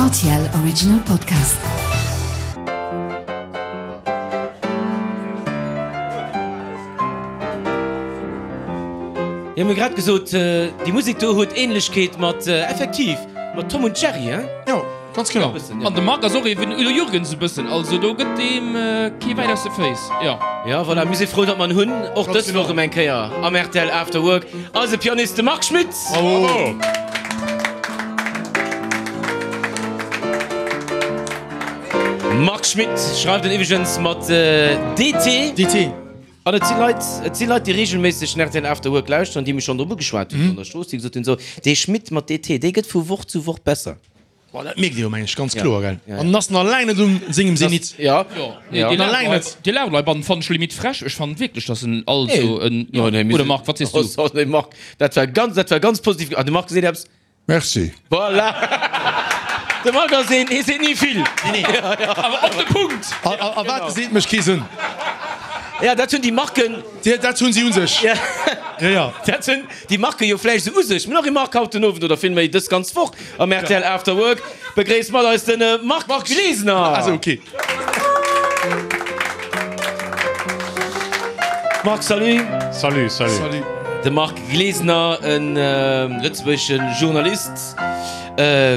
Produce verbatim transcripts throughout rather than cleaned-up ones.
R T L Original Podcast. Jo, mir hu grad gesot, déi Musek do huet Ähnlechkeet mat, effektiv, mat Tom und Jerry, hein? Jo, ganz genau. Bëssen, An de Marc ass och ee wéi den Udo Jürgens e bëssen, also do gëtt deem kee Wäin aus de Féiss, jo. Jo, voilà, mir si frou, datt mer en hunn, och dës Woch erëm eng Kéier am R T L After Work, eise Pianist, de Marc Schmitz! Bravo! Marc Schmitt schreift en iwweregens mat D T. D T. An et si Leit, et si Leit, déi reegelméisseg den R T L After Work lauschteren, déi mech schonn drop ugeschwat hunn an der Strooss, déi gesot hunn, so, dee Schmitt mat D T, dee gëtt vu Woch zu Woch besser. Boah, dat mierkt ee jo, meng ech, ganz kloer, gell? Ja. An en ass nach laang net un sengem Zenit. Ja. Jo, nee, Ja. déi Nach laang Laut- net. déi Lautleibannen fannen ech limite frech. Ech fannen wierklech, dass en also en, Jo, nee, mir oder sinn- Marc, wat sees du? Oh, sorry, Marc, dat war ganz, dat war ganz positiv. Ah, de Marc seet eppes. Merci. Voilà! De Marc ass een, hie seet ni vill. Awer op de Punkt! A, a, a wat seet mécht kee Sënn. Ja, dat hunn déi Marken, Déi, dat hunn si un sech. Ja. Ja, ja. Dat hunn déi Marke jo vläicht esou u sech. Mir hunn och ee Marc haut den Owend, oder villméi dës ganz Woch am R T L After Work. Begréisst mat eis den Marc Glesener. Also, okay. Marc, salut. Salut, salut. Salut. De Marc Glesener, e lëtzebuergesche Journalist,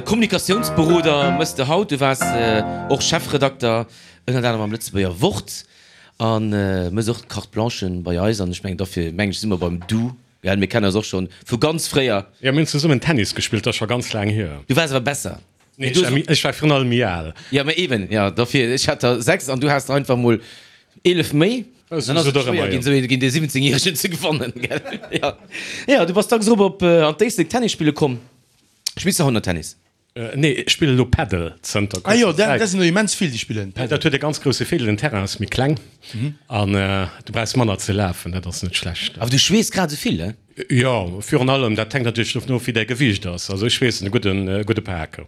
Kommunikatiounsberoder mëss de haut. Du waars och Chefredakter ënnert anerem am Lëtzebuerger Wort a mëss och d'Carte Blanche bei eis. An ech mengen, dofir mengen ech, si mer beim Du, gell? Mir kennen eis och schonn vu ganz fréier. Jo, mir hunn zesummen Tennis gespillt, dat ass scho ganz laang hier. Du waars awer besser. Nee, ech war méi, ech war virun allem méi al. Jo, mä eben, jo, dofir, ech hat der sechs an du has der einfach mol eelef méi. Dann Dann ass et schwéier ginn, esou ee géint ee siwwenzéngjäregen ze gewannen, gell? Jo, jo, du bass dacks erop op an d'Éislek Tennis spille komm. Spills de haut nach Tennis? Nee, ech spillen elo Padel zënter Ah jo, kuerzer dat Zäit. sinn der immens vill, déi spillen Padel. Dat huet e ganz grousse Virdeel, den Terrain ass méi kleng an du brauchs manner ze lafen, dat ass net schlecht. Awer du schweess grad esou vill, he? Jo, virun allem, dat hänkt natierlech dovun of, wéi däi Gewiicht ass. Also ech schweessen e gudden, gudde Pak.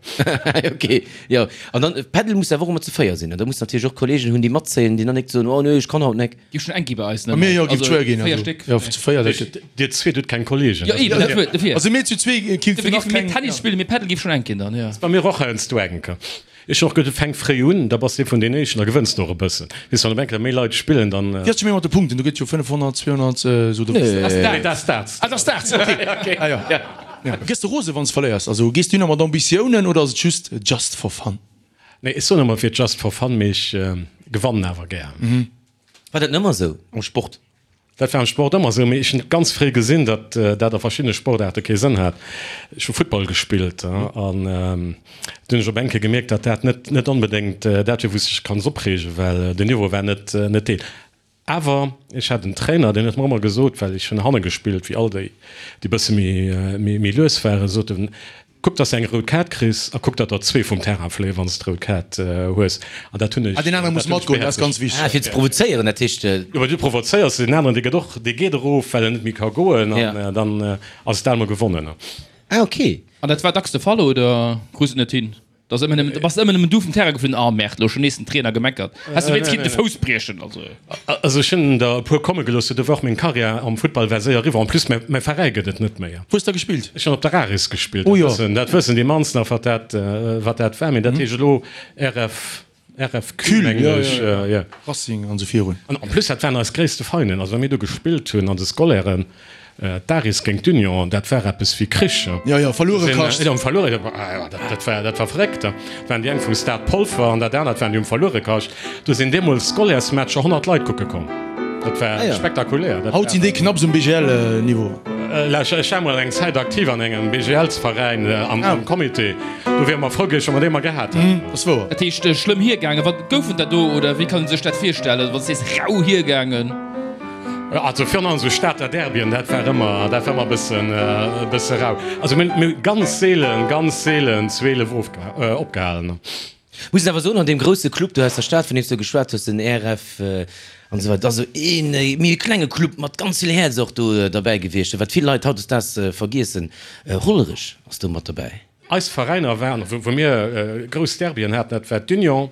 Ok, jo. An dann, Padel muss awer och ëmmer zu véier sinn, ne? Da muss natierlech och Kollegen hunn, déi matzéien, déi dann nik soen, oh nee, ech kann haut nek. Gi schon eng gi bei eis, ne? Bei mir jo, giff Also schwéier ginn. véier Also, Stéck. jo, zu véier, dat gëtt. Dir zweet hutt keng Kollegen. Jo, eben, dat huet, dofir. Also mir zu zwee Dofir giffen nach géife mir keng. Tennis spillen, mee Padel giff schon eng ginn dann, jo. Bei mir och heiansdo enk. Ech och, du fänk fréi un, da bass de vun den éischten, da gewënns de och e bëssen. Weess, wann op eng Kéier méi Leit spillen, dann. Wéi ass et scho méi mat de Punkten? Do gëtt jo fënnefhonnert, zweehonnert, esou do. Nee. Nee, dat ass dat. Ah, dat ass dat, ok. Ah jo. Ja. Gëss de rose wann s verléiers? Also gees du nach mat Ambitiounen oder ass et just just for fun? Nee, ech soen ëmmer fir just for fun, mee ech gewannen awer gär. War dat net ëmmer esou am Sport? Dat war am Sport ëmmer esou, mee ech hunn ganz fréi gesinn, datt dat a verschiddene Sportaarte kee Sënn hat. Ech hu Futtball gespillt an dunn hunn ech op eng Kéier gemierkt, datt dat net net onbedéngt dat wier, wou s de dech kanns opreegen, well den Niveau war net net deen. Awer ech hat en Trainer, deen huet mer ëmmer gesot, well ech hunn hanne gespillt, wéi all déi, déi bësse méi méi lues waren, sot en, Kuck, dass de eng rout Kaart kriss a kuck, datt der zwee vum Terrain fléien, wann s de d'rout Kaart hues. An dat hunn ech. Ah, deen anere muss matgoen, dat ass ganz wichteg. Ah, fir ze provozéieren, dat heescht. Jo, well du provozéiers deen aneren, dee gëtt och, dee geet erof, well en net méi ka goen, an dann ass et al mol gewonnen. Ah, ok. An dat war dacks de Fall, oder krus et net hin? Da ass ëmmer nëmmen, da bass de ëmmer nëmmen du vum Terrain geflunn, ah merde, lo schon nees den Trainer gemeckert, häss de wéinst kinnt de Fouss briechen, also. Also ech hunn der e puer komme gelooss, do war och meng Karriär am Futtball war séier eriwwer, en plus mäi mäi Veräi gëtt et net méi. Wou hues de gespillt? Ech hunn op der Aris gespillt, Oh dat jo. wëssen dat wëssen déi mannst nach wat dat wat dat war, mee dat heescht elo R F R F Q mengen jo, ech, jo, jo. Racing an esou virun. An en plus dat waren eis gréisste Feinden, also wa mir do gespillt hunn an de Scolairen, D'Aris géint d'Union, dat war eppes wéi Krich. Jo, jo, verluere Kascht. Jo, verluere, dat war, dat war verréckt. Dat waren déi eng vum Stade Polfer an dat anert waren déi um Verluerekascht. Do sinn deemools Scolaires-Matcher honnert Leit kucke komm. Dat war spektakulär. Dat Haut sinn déi knapps um B G L-Niveau. Ech war mol eng Zäit aktiv an engem B G L-Veräin am Comité. Do wiere mer frou gewiescht, wa mer déi emmer gehat hätten. Dat ass wouer. Dat heescht, schlëmm hiergaangen. Wat gouf et da do oder wéi kann ee sech dat virstellen, wann s de sees rau hiergaangen? Also virun allem esou Stater Derbyen, dat war ëmmer, dat war ëmmer e bëssen, e bësse rau. Also mir mir hu ganz seelen, ganz seelen zweelef ofge opgehalen. Muss een awer soen, an deem grousse Club do aus der Stad, vun deem s du geschwat hues, den R F an esou weider, dat ass esou een méi e klenge Club mat ganz vill Häerz och do derbäi gewiescht, wat vill Leit hautdesdaags vergiessen. Hollerech ass do mat derbäi. Eis Veräiner waren, wou mir grouss Derbyen haten, dat war d'Union,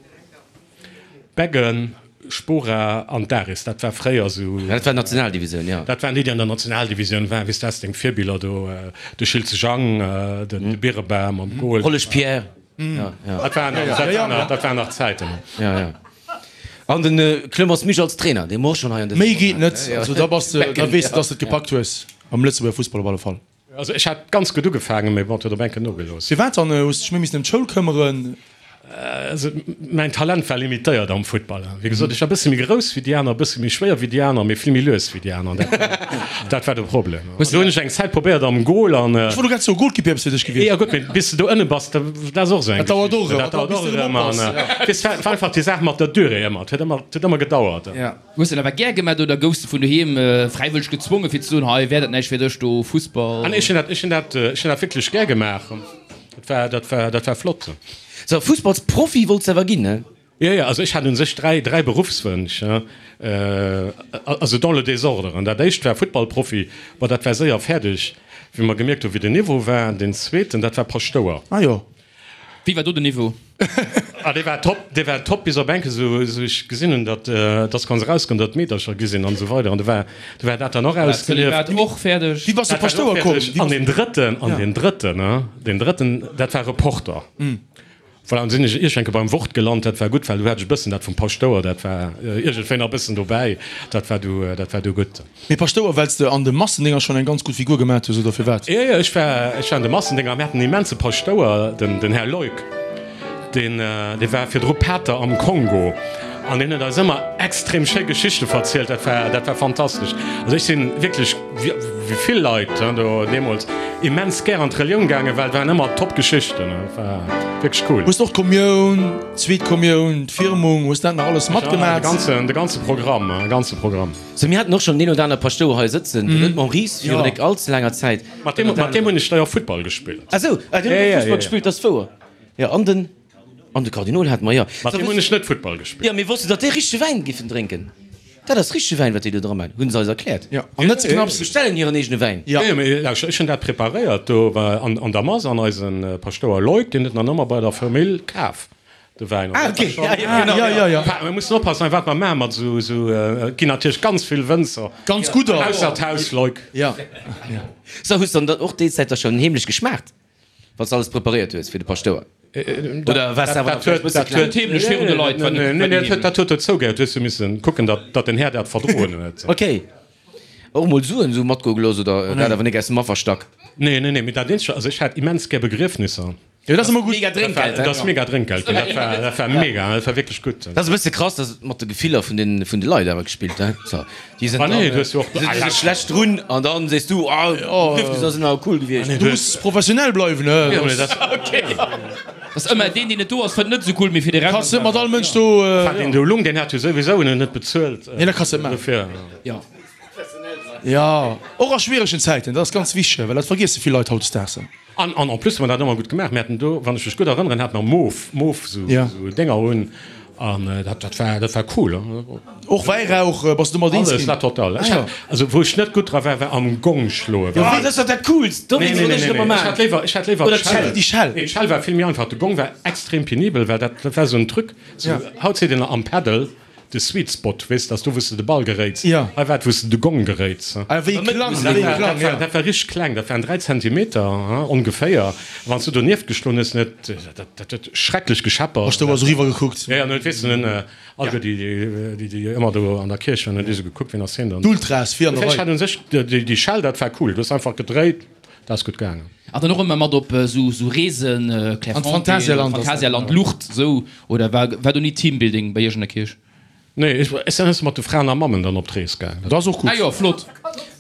Beggen, Spora an d'Aris. Dat war fréier esou. Dat war d'Nationaldivisioun, jo. Dat waren déi, déi an der Nationaldivisioun waren. Weess, du has deng Virbiller do, de Schiltze Jang, de Birebam am Goal. Hollesch Pierre. Ja, ja. Dat waren, dat waren nach, dat waren nach Zäiten. Ja, ja. An den Clemens Misch als Trainer, dee mer och schonn hei an dësem Méi geet net. Ja. Also da bass de, da Becken, weess de, ja. dass de et gepackt hues am Lëtzebuerger Fussball op alle Fall. Also ech hat ganz gutt ugefaangen, mee bon, et huet op eng Kéier nogelooss. Firwat dann? Hues de dech méi missen ëm d'Schoul këmmeren? Also mäin Talent war limitéiert am Futtball. Wéi gesot, ech war e bësse méi grouss wéi déi aner, e bësse méi schwéier wéi déi aner, mee vill méi lues wéi déi aner. Dat war, dat war de Problem. Do hunn ech eng Zäit probéiert am Goal an. Ech wollt elo grad soen, Goalkeeper wär eppes fir dech gewiescht. Jo gutt, mee bis de do ënne bass, dat ass och esou eng Dat dauert och Geschicht. erëm. Dat dauert Bis och de erëm erëm op an bass, ja. weess, war war einfach déi Saach mat der Durée ëmmer. Et huet ëmmer, et huet ëmmer gedauert. Ja. Hues de dat awer gär gemat oder goufs de vun doheem fräiwëlleg gezwongen fir ze soen, hei wär dat näischt fir dech do, Fussball? Ah nee, ech hunn dat, ech hunn dat, ech hunn dat wierklech gär gemaach. Dat war, dat war, dat war flott. So, Fussballsprofi wollts de awer ginn, ne? Jo, jo, also ech hat un sech dräi, dräi Beruffswënsch, also dans le désordre. An dat éischt war Futtballprofi, bon, dat war séier fäerdeg, wéi mer gemierkt hu wéi den Niveau war. Deen zweeten, dat war Paschtouer. Ah jo. Wéi war do den Niveau? Ah, dee war top, dee war top, bis op enke sou, sou ech gesinn hunn, datt, datt ganz erauskoum, datt Meedercher gi sinn an esou weider. An du war, du war dat dann och ausgelieft. Zölibat och fäerdeg. Wéi bass du Dat war och Paschtouer komm? fäerdeg. An deen drëtten, an deen drëtten, ne, deen drëtten, dat war Reporter. Voilà, an sinn ech iergendwéi beim Wort gelant, dat war gutt, well du hat ech e bëssen dat vum Paschtouer, dat war iergendwéi nach e bëssen dobäi, dat war du, dat war du gutt. Mee Paschtouer, well s de an de Massendinger schonn eng ganz gutt Figur gemat hues, oder firwat? Jo, jo, ech war, ech war an de Massendinger, mir haten en immense Paschtouer, den, den Här Leuck, deen, dee war virdru Pater am Kongo an deen huet eis ëmmer extrem schéi Geschichte verzielt, dat war, dat war fantastesch. Also ech sinn wierklech, wéi vill Leit do deemools, immens gär an d'Relioun gaangen, well et waren ëmmer top Geschichten, et war wierklech cool. Hues de och d'Kommioun, d'zweet Kommioun, d'Firmung, hues dat nach alles matgemat? De ganzen, de ganze Programm, de ganze Programm. Sou, mir haten och schonn deen oder aner Paschtouer hei sëtzen, den net Maurice, virun nek all ze laanger Zäit. Mat deem, mat deem hunn ech da jo Futtball gespillt. Ah sou, ah deen huet och Fussball gespillt, dat ass wouer. Jo, an den, an de Kardinol hate mer, jo. Mat deem hunn ech net Futtball gespillt. Jo, mir wossten, datt déi richtege Wäin giffen drénken. Dat ass richtege Wäin, wat déi do dra man, hunn se eis erkläert. Jo, an net ze knapps. Se bestellen hiren eegene Wäin. Jo, jo, mee lauschter, ech hunn dat preparéiert do an an der Mass an eisen Paschtouer Loïc, deen huet en dann ëmmer bei der Famill kaf, de Wäin. Ah, ok, ja, jo, genau. Ja, ja, ja. Mir mussen oppassen, wat mer maachen mat esou, esou, et ginn natierlech ganz vill Wënzer. Ganz gudder. Ausser d'Haus Loïc. Ja. So, hues dann och déi Zäit da schonn heemlech geschmaacht, wann s de alles preparéiert hues fir de Paschtouer? Oder waars de awer nach vläicht e bësse kleng? Dat heemlech virun de Leit war net. Nee, nee, dat huet dozou gehéiert. Du hues jo missen kucken, datt datt den Här dat verdroen huet. Ok. Och mol Suen esou matgoe gelooss oder dat awer nik aus dem Afferstack? Nee, nee, nee, mee dat eenzegt, also ech hat immens gär Begriefnisser. Jo, dat ass ëmmer gutt. Mega Drénkgeld, Dat ass mega Drénkgeld ginn. Dat war, dat war mega, dat war wierklech gutt. Dat ass e bësse krass, dass mat de Gefiller vun den, vun de Leit awer gespillt, he? So, déi sinn Ah nee, dann, du hues jo och, déi sinn schlecht drun an dann sees du, ah, Begriefnisser sinn awer cool gewiescht. Du muss professionell bleiwen, he? Jo, mee dat. Ass ëmmer deen, deen net do ass, fënnt net esou cool, mee fir de Rescht. Kanns net mat all Mënsch do. Enfin, deen do lung, deen hat jo souwisou en net bezuelt. Nee, dat kanns de net maachen. Dofir. Jo. Jo, och a schwieregen Zäiten, dat ass ganz wichteg, well dat vergiesse vill Leit hautdesdaags. An, an en plus hu mer dat ëmmer gutt gemaach. Mir haten do, wann ech mech gutt erënneren, hate mer Mof, Mof, esou, esou Dénger un. An dat, dat war, dat war cool. Och Wäirauch, bass du domat eens Alles, ginn? la totale. Ah Ech jo. hat, also wou ech net gutt dra war, war am Gong schloen. Jo, dat ass doch dat Coolst! Do Nee, wéinst nee, wollt nee, ech nee, et ëmmer nee. Ech hat maachen. léiwer, ech hat léiwer Oder d'Schell. d'Schell. Déi Schell. Nee, d'Schell war vill méi einfach. De Gong war extrem penibel, well dat, dat war esou en Truc, sou, haut seet een am Paddle, de Sweet Spot, weess, dat ass do, wou s de de Ball geréits. Ja. Hei war et, wou s de de Gong geréits. Ah, wéi klang, Dat wéi war, klang, dat war, ja. dat war richteg kleng, dat waren dräi Zentimeter, hein, ongeféier. Wann s du donieft geschloen hues, net, dat, dat huet schrecklech gescheppert. Bass du awer esou riwwer gekuckt? Ja, ja, an huet, weess du, nun, alleguer déi, déi, déi, déi ëmmer do an der Kierch waren, hunn déi esou gekuckt, wien ass hien dann? D'Ultras vir an der Ech Rei. hat un sech déi, déi Schell, dat war cool. Du hues einfach gedréit, dat ass gutt gaangen. An dann och ëmmer mat op esou, esou Reesen, An d'Phantasialand ass dat, Phantasialand, Lucht, esou, oder war, war do ni Teambuilding bei iech an der Kierch? Nee, ech sinn heiansdo mat de Fraen a Mammen dann op d'Rees gaangen. Dat ass och gutt. Ah jo, flott.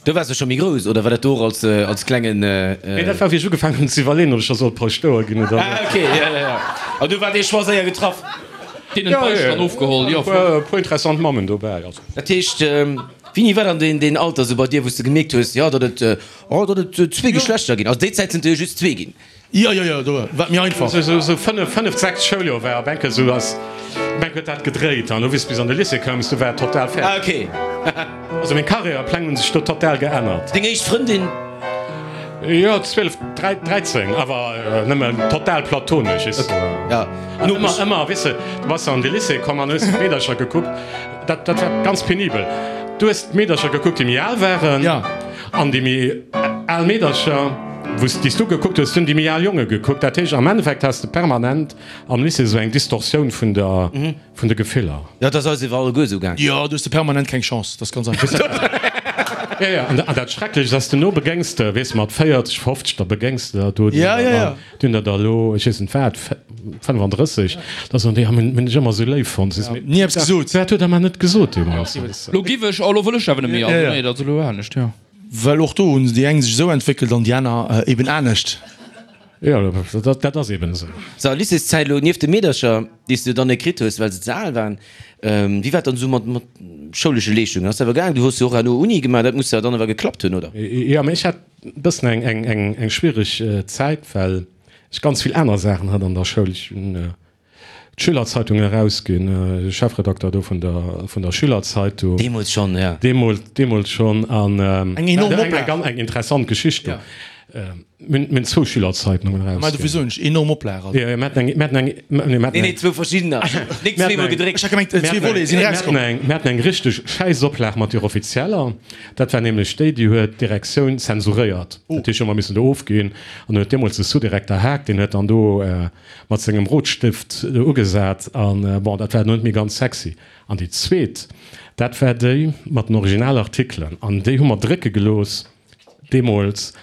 Do waars de scho méi grouss, oder war dat do och als, als klengen. Nee, dat war wéi ech ugefaangen hunn ze iwwerleeën, ob ech da sollt Paschtouer ginn oder net. Ah, ok, ja, ja, ja. An du war dee Choix séier getraff? Deenen d'Beicht dann ofgeholl, jo, E flott. puer interessant Mammen dobäi, also. Dat heescht, wéini war dann deen, deen Alter sou bei dir, wou s de gemierkt hues, jo, datt et, oh, datt et zwee Geschlechter ginn? Also déi Zäit sinn et jo just zwee ginn. Jo, jo, jo, do war et méi einfach. Sou, sou fënnef, fënneft, sechst Schouljoer war op eng Kéier sou ass, op eng Kéier huet dat gedréit an du wéi s bis an de Lycée koums, du war et total fäerdeg. Ah, ok. Also meng Karriärepläng hunn sech do total geännert. Deng éischt Frëndin? Jo, zwielef, dräi, dräizéng, awer nëmmen total platonesch, weess de. Ja. An ëmmer, ëmmer, weess de, du bass an de Lycée komm an hues d'Meedercher gekuckt, dat, dat war ganz penibel. Du hues d'Meedercher gekuckt, déi méi al waren, Ja. an déi méi al Meedercher, Wou s, déi s du gekuckt hues, hunn déi méi al Jonge gekuckt. Dat heescht, am Endeffekt has de permanent am Lycée esou eng Distorsioun vun der, vun de Gefiller. Jo, dat ass eis iwwer alleguer esou gaang. Jo, do hues de permanent keng Chance, dat ass ganz einfach. Jo, jo, an, an dat Schrecklecht ass, duerno begéngs de, weess de, mat véierzeg, fofzeg, da begéngs de der do, déi Ja, ja, ja. déi hunn der da elo, ech weess net wat, fënnefandrësseg, da soen déi, ah, mir hunn dech ëmmer esou léif fonnt. Sees, mee Ni eppes gesot. Wat huet der mer net gesot deemools? Lo giff ech, oh, lo wëll ech awer net méi, also Ja, ja. nee, dat ass elo anescht, jo. Well och do hunn déi eng sech esou entwéckelt an déi aner eben anescht. Jo, dat, dat ass eben esou. So, Lycéeszäit elo, nieft de Meedercher, déi s du dann net kritt hues, well se ze al waren, wéi war et dann esou mat, mat schoulesche Leeschtungen? Ass dat awer gaang? Du hues jo och herno Uni gemaach, dat muss jo dann awer geklappt hunn, oder? Jo, mee ech hat e bëssen eng, eng, eng, eng schwiereg Zäit, well ech ganz vill aner Saachen hat an der Schoul. Ech hunn d'Schülerzeitung erausginn, de Chefredakter do vun der, vun der Schülerzeitung. Deemools schonn, ja. Deemools, deemools schonn. An Eng enorm eng, Oplag. eng interessant Geschicht do. Mir hunn zwou Schülerzeitungen Mä erausginn. dofir soen ech, enorm Oplag. Also. Jo, jo, mir haten eng, mir haten eng, nee, mir haten Nee, nee, eng, zwou verschiddener. Nik mir haten zweemol eng, gedréckt. Ech hat gemengt, mir zwee haten Volete eng, sinn mir haten erauskomm. eng, mir haten eng richteg schäiss Oplag mat deer offizieller. Dat war nämlech déi, déi huet d'Direktioun zensuréiert. Dat heescht, hu mer missen do ofginn. An huet deemools de Sous-Direkter Haag, deen huet dann do mat sengem Rotstift do ugesat. An bon, dat war net méi ganz sexy. An déi zweet, dat war déi mat den Originalartikelen. An déi hu mer drécke gelooss deemools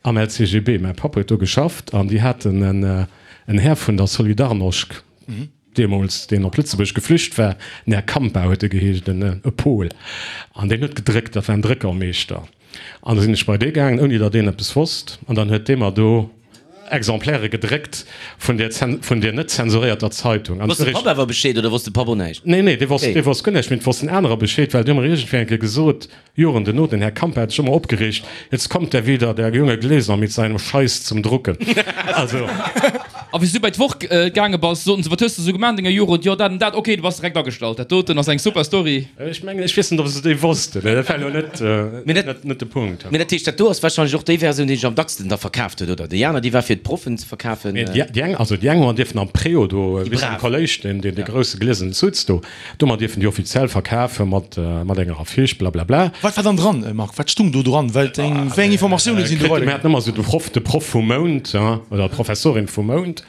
am L C G B. Mäi Papp huet do geschafft an déi haten en, en Här vun der Solidarnosc deemools, deen op Lëtzebuerg geflücht war, den Här Kampa huet e geheescht, en, e Pol. An deen huet gedréckt, dat war en Dréckermeeschter. An da sinn ech bei dee gaangen, ouni datt deen eppes wosst. An dann huet dee mer do Exemplaire gedréckt vun där, vun där net zensuréierter Zeitung. An Wosst de Papp awer Bescheed oder wosst de Papp och näischt? Nee, nee, dee wosst, dee wosst guer näischt, mee et wossten anerer Bescheed, well déi hu mer iergendwéi eng Kéier gesot, Joren duerno, den Här Kampa hat sech ëmmer opgereegt, Jetzt kommt der wieder, der junge Glesener mit seinem Scheiß zum Drucken. Also. A wéi s du bei d'Woch gaange bass, soten se, Wat hues de sou gemaach an denger Jugend? Jo, dat an dat. Ok, du bass direkt agestallt. Dat doten ass eng super Story. Ech mengen, ech weess net, ob se déi wossten. Dat war elo net, net, net de Punkt. Mee dat heescht, dat do ass warscheinlech och déi Versioun, déi sech am dacksten da verkaaft huet, oder? Déi aner, déi war fir d'Proffen ze verkafen. Mee déi eng, also déi eng hu mer dierfen am Préau do, wéi am Kolléisch, deen, deen, dee grousse gliesenen Sutz do, do hu mer dierfen déi offiziell verkafe mat, mat enger Affiche, blablabla. Wat war dann dran, Marc? Wat stung do dran? Well eng, wéi eng Informatioune sinn do Mir weiderginn? haten ëmmer esou de Proff, de Proff vum Mount, oder d'Professorin vum Mount.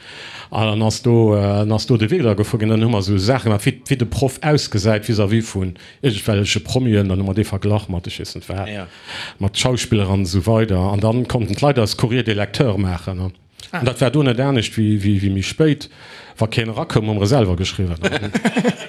An dann ass do, dann ass do de Wee da gefuer ginn. Dann hu mer esou Saache gemaach, wéi, wéi de Proff ausgesäit vis-à-vis vun iergendwelleche Promien. Dann hu mer dee verglach mat, ech weess net wat, mat Schauspiller an esou weider. An dann konnten d'Leit eis Courrier des lecteurs maachen. An dat war do net anescht wéi, wéi, wéi méi spéit. Wa keen erakoum, hu mer e selwer geschriwwen.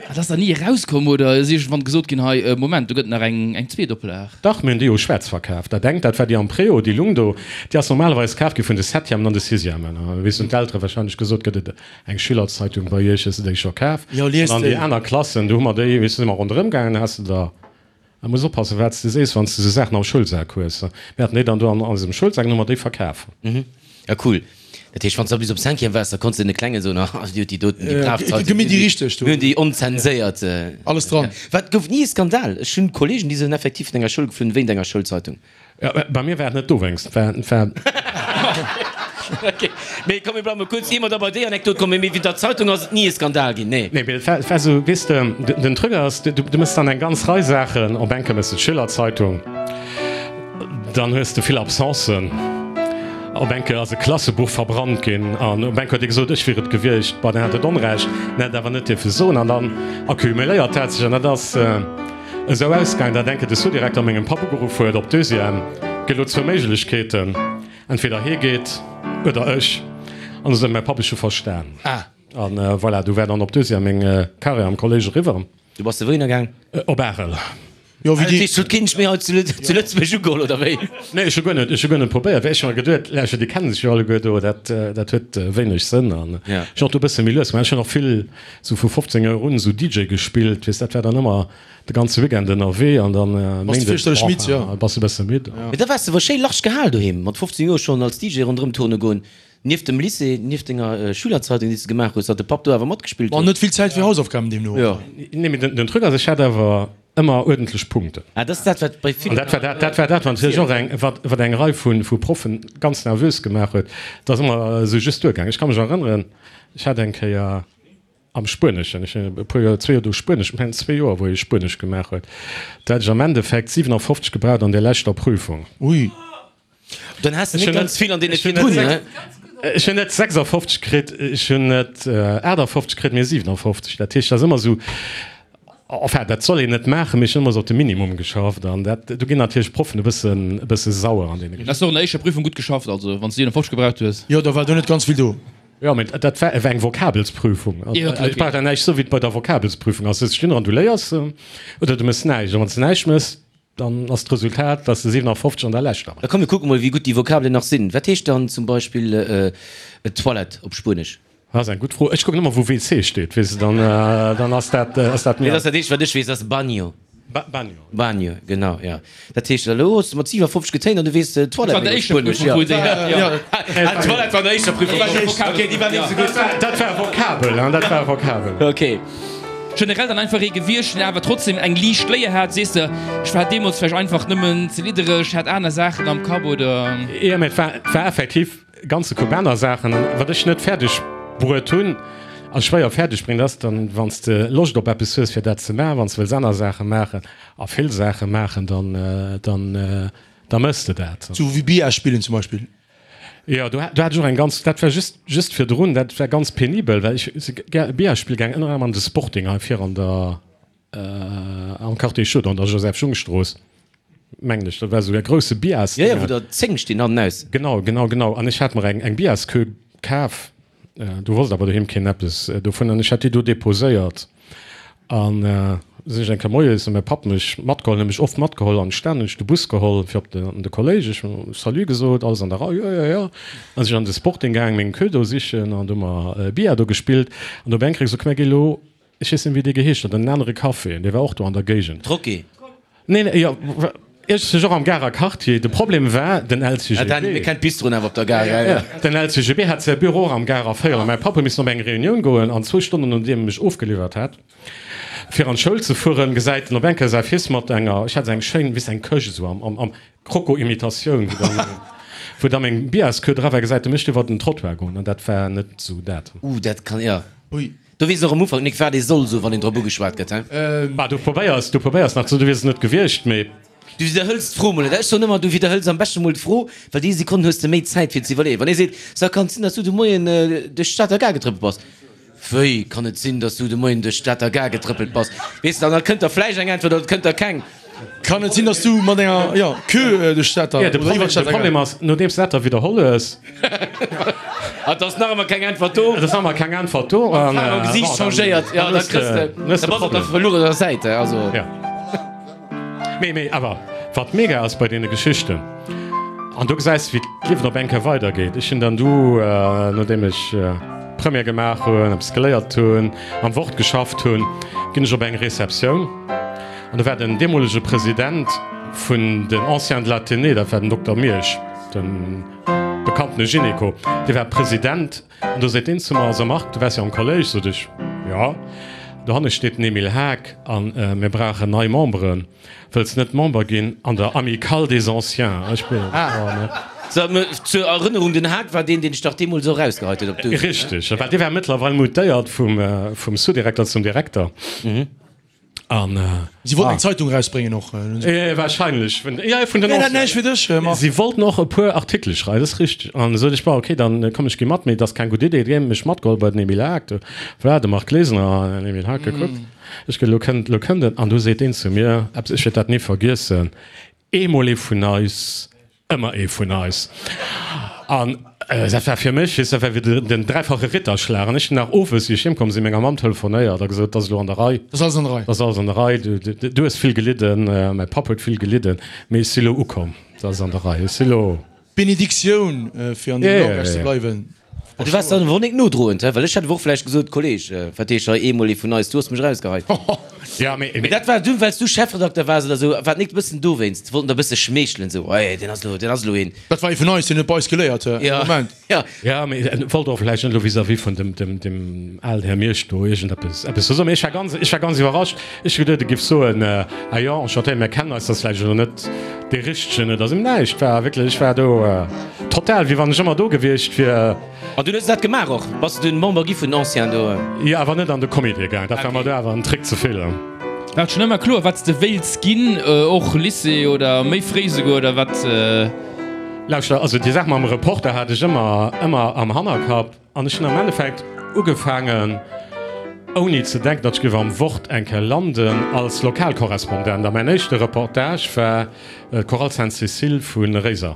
Dat ass dann ni erauskomm oder ass iergendwann gesot ginn, hei, Moment, do gëtt nach eng, eng zweet Oplag? Dach, mir hunn déi jo schwaarz verkaf. Dat engt, dat war déi am Préau, déi lung do, déi ass normalerweis kaf gi vun de Septièmen an de Sixièmen. A wéi hunn d'Eltere wahrscheinlech gesot, gëtt et eng Schülerzeitung bei iech, hues de déi scho kaf? Jo, liest An dann déi déi. aner Klassen, do hu mer déi, weess du, si mer ronderëm gaangen, has de der, da muss oppassen, wat s de sees, wann s de esou Saachen am Schoulsak hues. Mir haten déi dann do an eisem Schoulsak an hu mer déi verkaf. Ja, cool. Dat heescht, wann s de bis op Cinquième waars, da konns de den Klengen soen, ah, déi huet déi doten, déi brav Zeitung, Gi mir déi richteg do. Mir hunn déi onzenséiert. Alles dran. Wat gouf ni e Skandal? Ech hunn Kollegen, déi sinn effektiv vun enger Schoul geflunn wéint enger Schoulzeitung. Ja, bei mir war et net dowéinst. War, war. Ok, mee komm, mir bleiwe mol kuerz, ier mer da bei déi Anekdot kommen. Mee wéint der Zeitung ass et ni e Skandal ginn, nee? Nee, mee et war, et war esou, weess de, den Truc ass, du, du mëss dann eng ganz Rei Saachen, op enke mëss de d'Schülerzeitung, dann hues de vill Absencen. Op eng Kéier ass e Klassebuch verbrannt ginn an op eng Kéier huet ee gesot, ech wier et gewiescht. Bon, deen hat et Onrecht, en hätt et awer net dierfe soen. An dann accumuléiert dat sech an dat ass esou ausgaangen, datt eng Kéier de Sous-Direkter mengem Papp ugeruff huet op Deuxième, Et gëtt elo zwou Méiglechkeeten, entweder hie geet oder ech. An du sot mäi Papp, ech hu verstan. An voilà, du war dann op Deuxième meng Carrière am Kolléisch eriwwer. Du bass de wouhinner gaang? Op Arel. Jo, wéi déi. Dat heescht, huet keen dech méi hei zu Lëtzebuerg ugeholl, oder wéi? Nee, ech hu guer net, ech hu guer net probéiert, well ech hu mer geduet, lauschter, déi kennen sech jo alleguer do, dat, dat huet wéineg Sënn. An ech hunn och do e bësse méi lues gemaach. Ech hunn och vill sou vu fofzéng Joer un esou D J gespillt, weess, dat war dann ëmmer de ganze Weekend ënnerwee an dann Bass de Méindes, fierchterlech midd, jo. bass de e bësse midd. Mee da waars de wuel schéi large gehal doheem, mat fofzéng Joer schonn als D J ronderëm turne goen. Nieft dem Lycée, nieft denger Schülerzeitung, déi s de gemaach hues, datt de Papp do awer matgespillt War huet. net vill Zäit fir Hausaufgaben deemno. Jo. Nee, mee den Truc ass, ech hat awer ëmmer uerdentlech Punkten. Ah, dat ass dat, wat bei An villen. dat war dat, dat war dat, wat natierlech och eng, wat, wat eng Rei vu, vu Proffen ganz nervös gemaach huet. Dat ass ëmmer esou just duergaangen. Ech ka mech erënneren, ech hat eng Kéier am Spueneschen, ech hunn e puer Joer, zwee Joer do Spuenesch, ech mengen zwee Joer, wou ech Spuenesch gemaach huet, do hat ech am Endeffekt siwenafofzeg gebraucht an där leschter Prüfung. Ui. Dann has de Ech net hunn ganz net vill an deene ech hunn virdrun, net ne? Ech hunn net sechsafofzeg kritt, ech hunn net aachtafofzeg kritt, mee siwenafofzeg. Dat heescht, dat ass ëmmer esou, enfin, dat soll een net maachen, mee ech hunn ëmmer esou op de Minimum geschafft an dat, do ginn natierlech d'Proffen e bëssen, e bësse sauer an deene Hast du och an der éischter Prüfung gutt geschafft, also wann s de siewenafofzeg gebraucht hues? Jo, da war do net ganz vill do. Jo, mee dat war eng Vokabelsprüfung. Jo, okay. Ech brauch da näischt soen, wéi et bei der Vokabelsprüfung ass. Du sëtz stinn an du léiers oder du méchs näischt. An wann s de näischt méchs, Dann ass d'Resultat, dass de siwenafofzeg an der leschter Da komm mir kucke mol wéi gutt déi Vokabelen nach sinn. Wat heescht dann zum Beispill Toilette op Spuenesch? Dat ass eng gutt Fro. Ech kucken ëmmer wou W C steet, weess de, dann dann ass dat ass dat Nee, mir. dat ass dat eenzegt wat ech weess, ass Baño. Baño. Baño, genau, jo. Dat heescht elo hues de mat siwenafofzeg getéint an du weess Dat war Toilette an der méi op éischter Spuenesch, Prüfung, jo. wou déi hat, jo. Ah, Toilette war an der éischter Prüfung. Ok, déi war net esou gutt. Dat war Vokabel, hein, dat war Vokabel. Ok. Generell dann einfach ee gewiescht, deen awer trotzdem eng liicht Léier hat, sees de, ech war deemools vläicht einfach nëmmen ze liddereg, hat aner Saachen am Kapp oder? Jo, mee et war, et war effektiv e ganze Koup aner Saachen. An wat ech net fäerdeg bruet hunn a schwéier fäerdeg bréngen, dat ass dann, wann s de Loscht op eppes hues fir dat ze maachen, wann s de wëlls aner Saache maachen a vill Saache maachen, dann, dann, da méchs de dat. Sou wéi Billard spillen zum Beispill. Jo, do hat ech och eng ganz, dat war just just virdrun, dat war ganz penibel, well ech si gär Billard spille gaang, ënner anerem an de Sporting hei vir an der, am Quartier Chaud an der Joseph-Schung-Strooss, mengen ech. Dat war esou e grousse Jo, jo, wou der zéng stinn hannenaus. Genau, genau, genau. An ech hat mer eng eng Billardsqueue kaf, do wosst awer doheem keen eppes dovun, an ech hat déi do deposéiert. An sinn ech eng Kéier moies, huet mäi Papp mech matgeholl, huet mech oft matgeholl an d'Stad, hunn ech de Bus geholl fir op de, an de Kolléisch. Ech hunn Salut gesot, alles an der Rei, jo, jo, jo. An sinn ech an de Sporting gaang, meng Queue do sichen an do hu mer Billard do gespillt. An do op eng Kéier gesot, komm mir gi lo, ech weess net méi wéi dee geheescht huet, an en anere Café, dee war och do an der Géigend. Troquet. Nee, nee, jo, iergendwéi och am Garer Quartier. De Problem war, den Ah, Dani, mir L C G B. kennen d'Bistroen awer op der Gare, ja, ja. Den L C G B hat säi Büro och am Garer Véierel. Mäi Papp huet missen op eng Reunioun goen an zwou Stonnen nodeem e mech ofgeliwwert hat, fir an d'Schoul ze fueren, gesäit en op eng Kéier säi Fils mat enger, ech hat esou eng schéin, wéi eng Këscht esou am, am, am Kroko-Imitatioun, wou dann, wou da meng Biasqueue dra war, gesäit e mech iwwer den Trottoir goen an dat war net esou dat. Uh, dat kann, jo. Ui. Do weess een och am Ufank nik wat ee soll soen, wann een drop ugeschwat gëtt, he? Bah, du probéiers, du probéiers nach ze, du wiers et net gewiescht, mee. Du widderhëls d'Fro mol net. Ech soen ëmmer, du widderhëls am beschte mol d'Fro, well déi Sekonn hues de méi Zäit fir ze iwwerleeën. Wann ee seet, So, kann et sinn, datt s du de Moien duerch d'Stater Gare getrëppelt bass? Wéi, kann et sinn, datt s du de Moien duerch d'Stater Gare getrëppelt bass? Weess de, an da kënnt der vläicht eng Äntwert oder et kënnt der keng. Kann et sinn, datt s du mat enger, jo, Queue duerch d'Stater Jo, de oder iwwer Problem, de d'Stater Gare. Problem ass, nodeems du dat da widderholl hues. Et ass nach ëmmer keng Äntwert do. Et ass nach ëmmer keng Äntwert do. An D'Faarf am bon, Gesiicht dann, changéiert, jo, dann da hues kriss de, de, dann hues da de bass op der Problem. verluerener Säit, also. Jo. Mee, mee awer, wat mega ass bei deene Geschichten, an do gesäis de, wéi d'Liewen op eng Kéier weidergeet. Ech hunn dann du, nodeem ech Première gemaach hunn, eppes geléiert hunn, am Wort geschafft hunn, ginn ech op eng Receptioun an do war den deemolege President vun den Anciens de l'Athénée, dat war den Dokter Miersch, de bekanntene Gynéco, dee war President an do seet deen zu mer, So Marc, du waars jo am Kolléisch, sot ech, Jo. Dohanne steet den Emile Haag a mir brauchen nei Memberen. Wëlls net Member ginn an der Amicale des Anciens? Ech bin, oh ne. So, zur Erënnerung, den Haag war deen, deen dech dach deemools och erausgeheit huet op d'Douche, ne? Richteg, well dee war mëttlerweil mutéiert vum, vum Sous-Direkter zum Direkter. An. Si wollten eng Zeitung erausbréngen och. Wahrscheinlech, jo, vun den Nee, dat näischt fir dech, Marc. Si wollten och e puer Artikele schreiwen, dat ass richteg. An sot ech, bon, okay, dann komm, ech gi mat, mee et ass keng gutt Idee. Déi hu mech matgeholl bei den Emile Haag. Do war de Marc Glesener an den Emile Haag gekuckt. Ech gesot, elo kënnt, elo kënnt en. An du seet deen zu mir eppes, ech wäert dat ni vergiessen, Eemol ee vun eis, Ëmmer ee vun eis. An dat war fir mech, weess, dat war wéi den dräifache Ritterschlag. An ech hunn nach owes, wéi ech heem komm sinn, menger Mamm telefonéiert a gesot, 't ass elo an der Rei. 't ass alles an der Rei. 't ass alles an der Rei. Du, du hues vill gelidden, mäi Papp huet vill gelidden, mee ech si lo ukomm. 't ass an der Rei. Ech si lo. Benediktioun, fir an deem Langage ze bleiwen. Du waars dann awer nik nodroend, he? Well ech hätt awer och vläicht gesot, Kolleg, wat heescht hei eemol ee vun eis, du hues mech erausgeheit. Ja, mee, Mee dat war dunn, well s du Chefredakter waars oder esou, war et nik e bëssen dowéinst? Wollten der e bësse schmeechelen, esou, Hey, deen ass elo, deen ass elo een. Dat war ee vun eis, deen huet bei eis geléiert, he? Ja, Moment. ja. Ja, mee en wollt och vläicht net elo vis-à-vis vun dem, dem, dem alen Här Miersch do iergendeppes, eppes soen. Mee ech war ganz, ech war ganz iwwerrascht. Ech hu geduet, e giff soen, Ah jo, enchanté, mir kennen eis, dat ass vläicht elo net dee richtegen oder esou. Mee näischt war wierklech, ech war do total, wéi wann ech ëmmer do gewiescht wier. An dunn hues de dat gemaach och? Bass de dunn Member gi vun den Anciens do? Jo, awer net an de Comité gaang, dat war mer do awer en Trick ze vill. War et schonn ëmmer kloer, wat s de wéilts ginn, och Lycée oder méi fréi souguer, oder wat? Lauschter, also déi Saach mam Reporter hat ech ëmmer, ëmmer am Hannerkapp an ech hunn am Endeffekt ugefaangen, ouni ze denken, datt ech géif am Wort eng Kéier landen, als Lokalkorrespondent. A mäin éischte Reportage war d'Chorale Sainte-Cécile vu Réiser.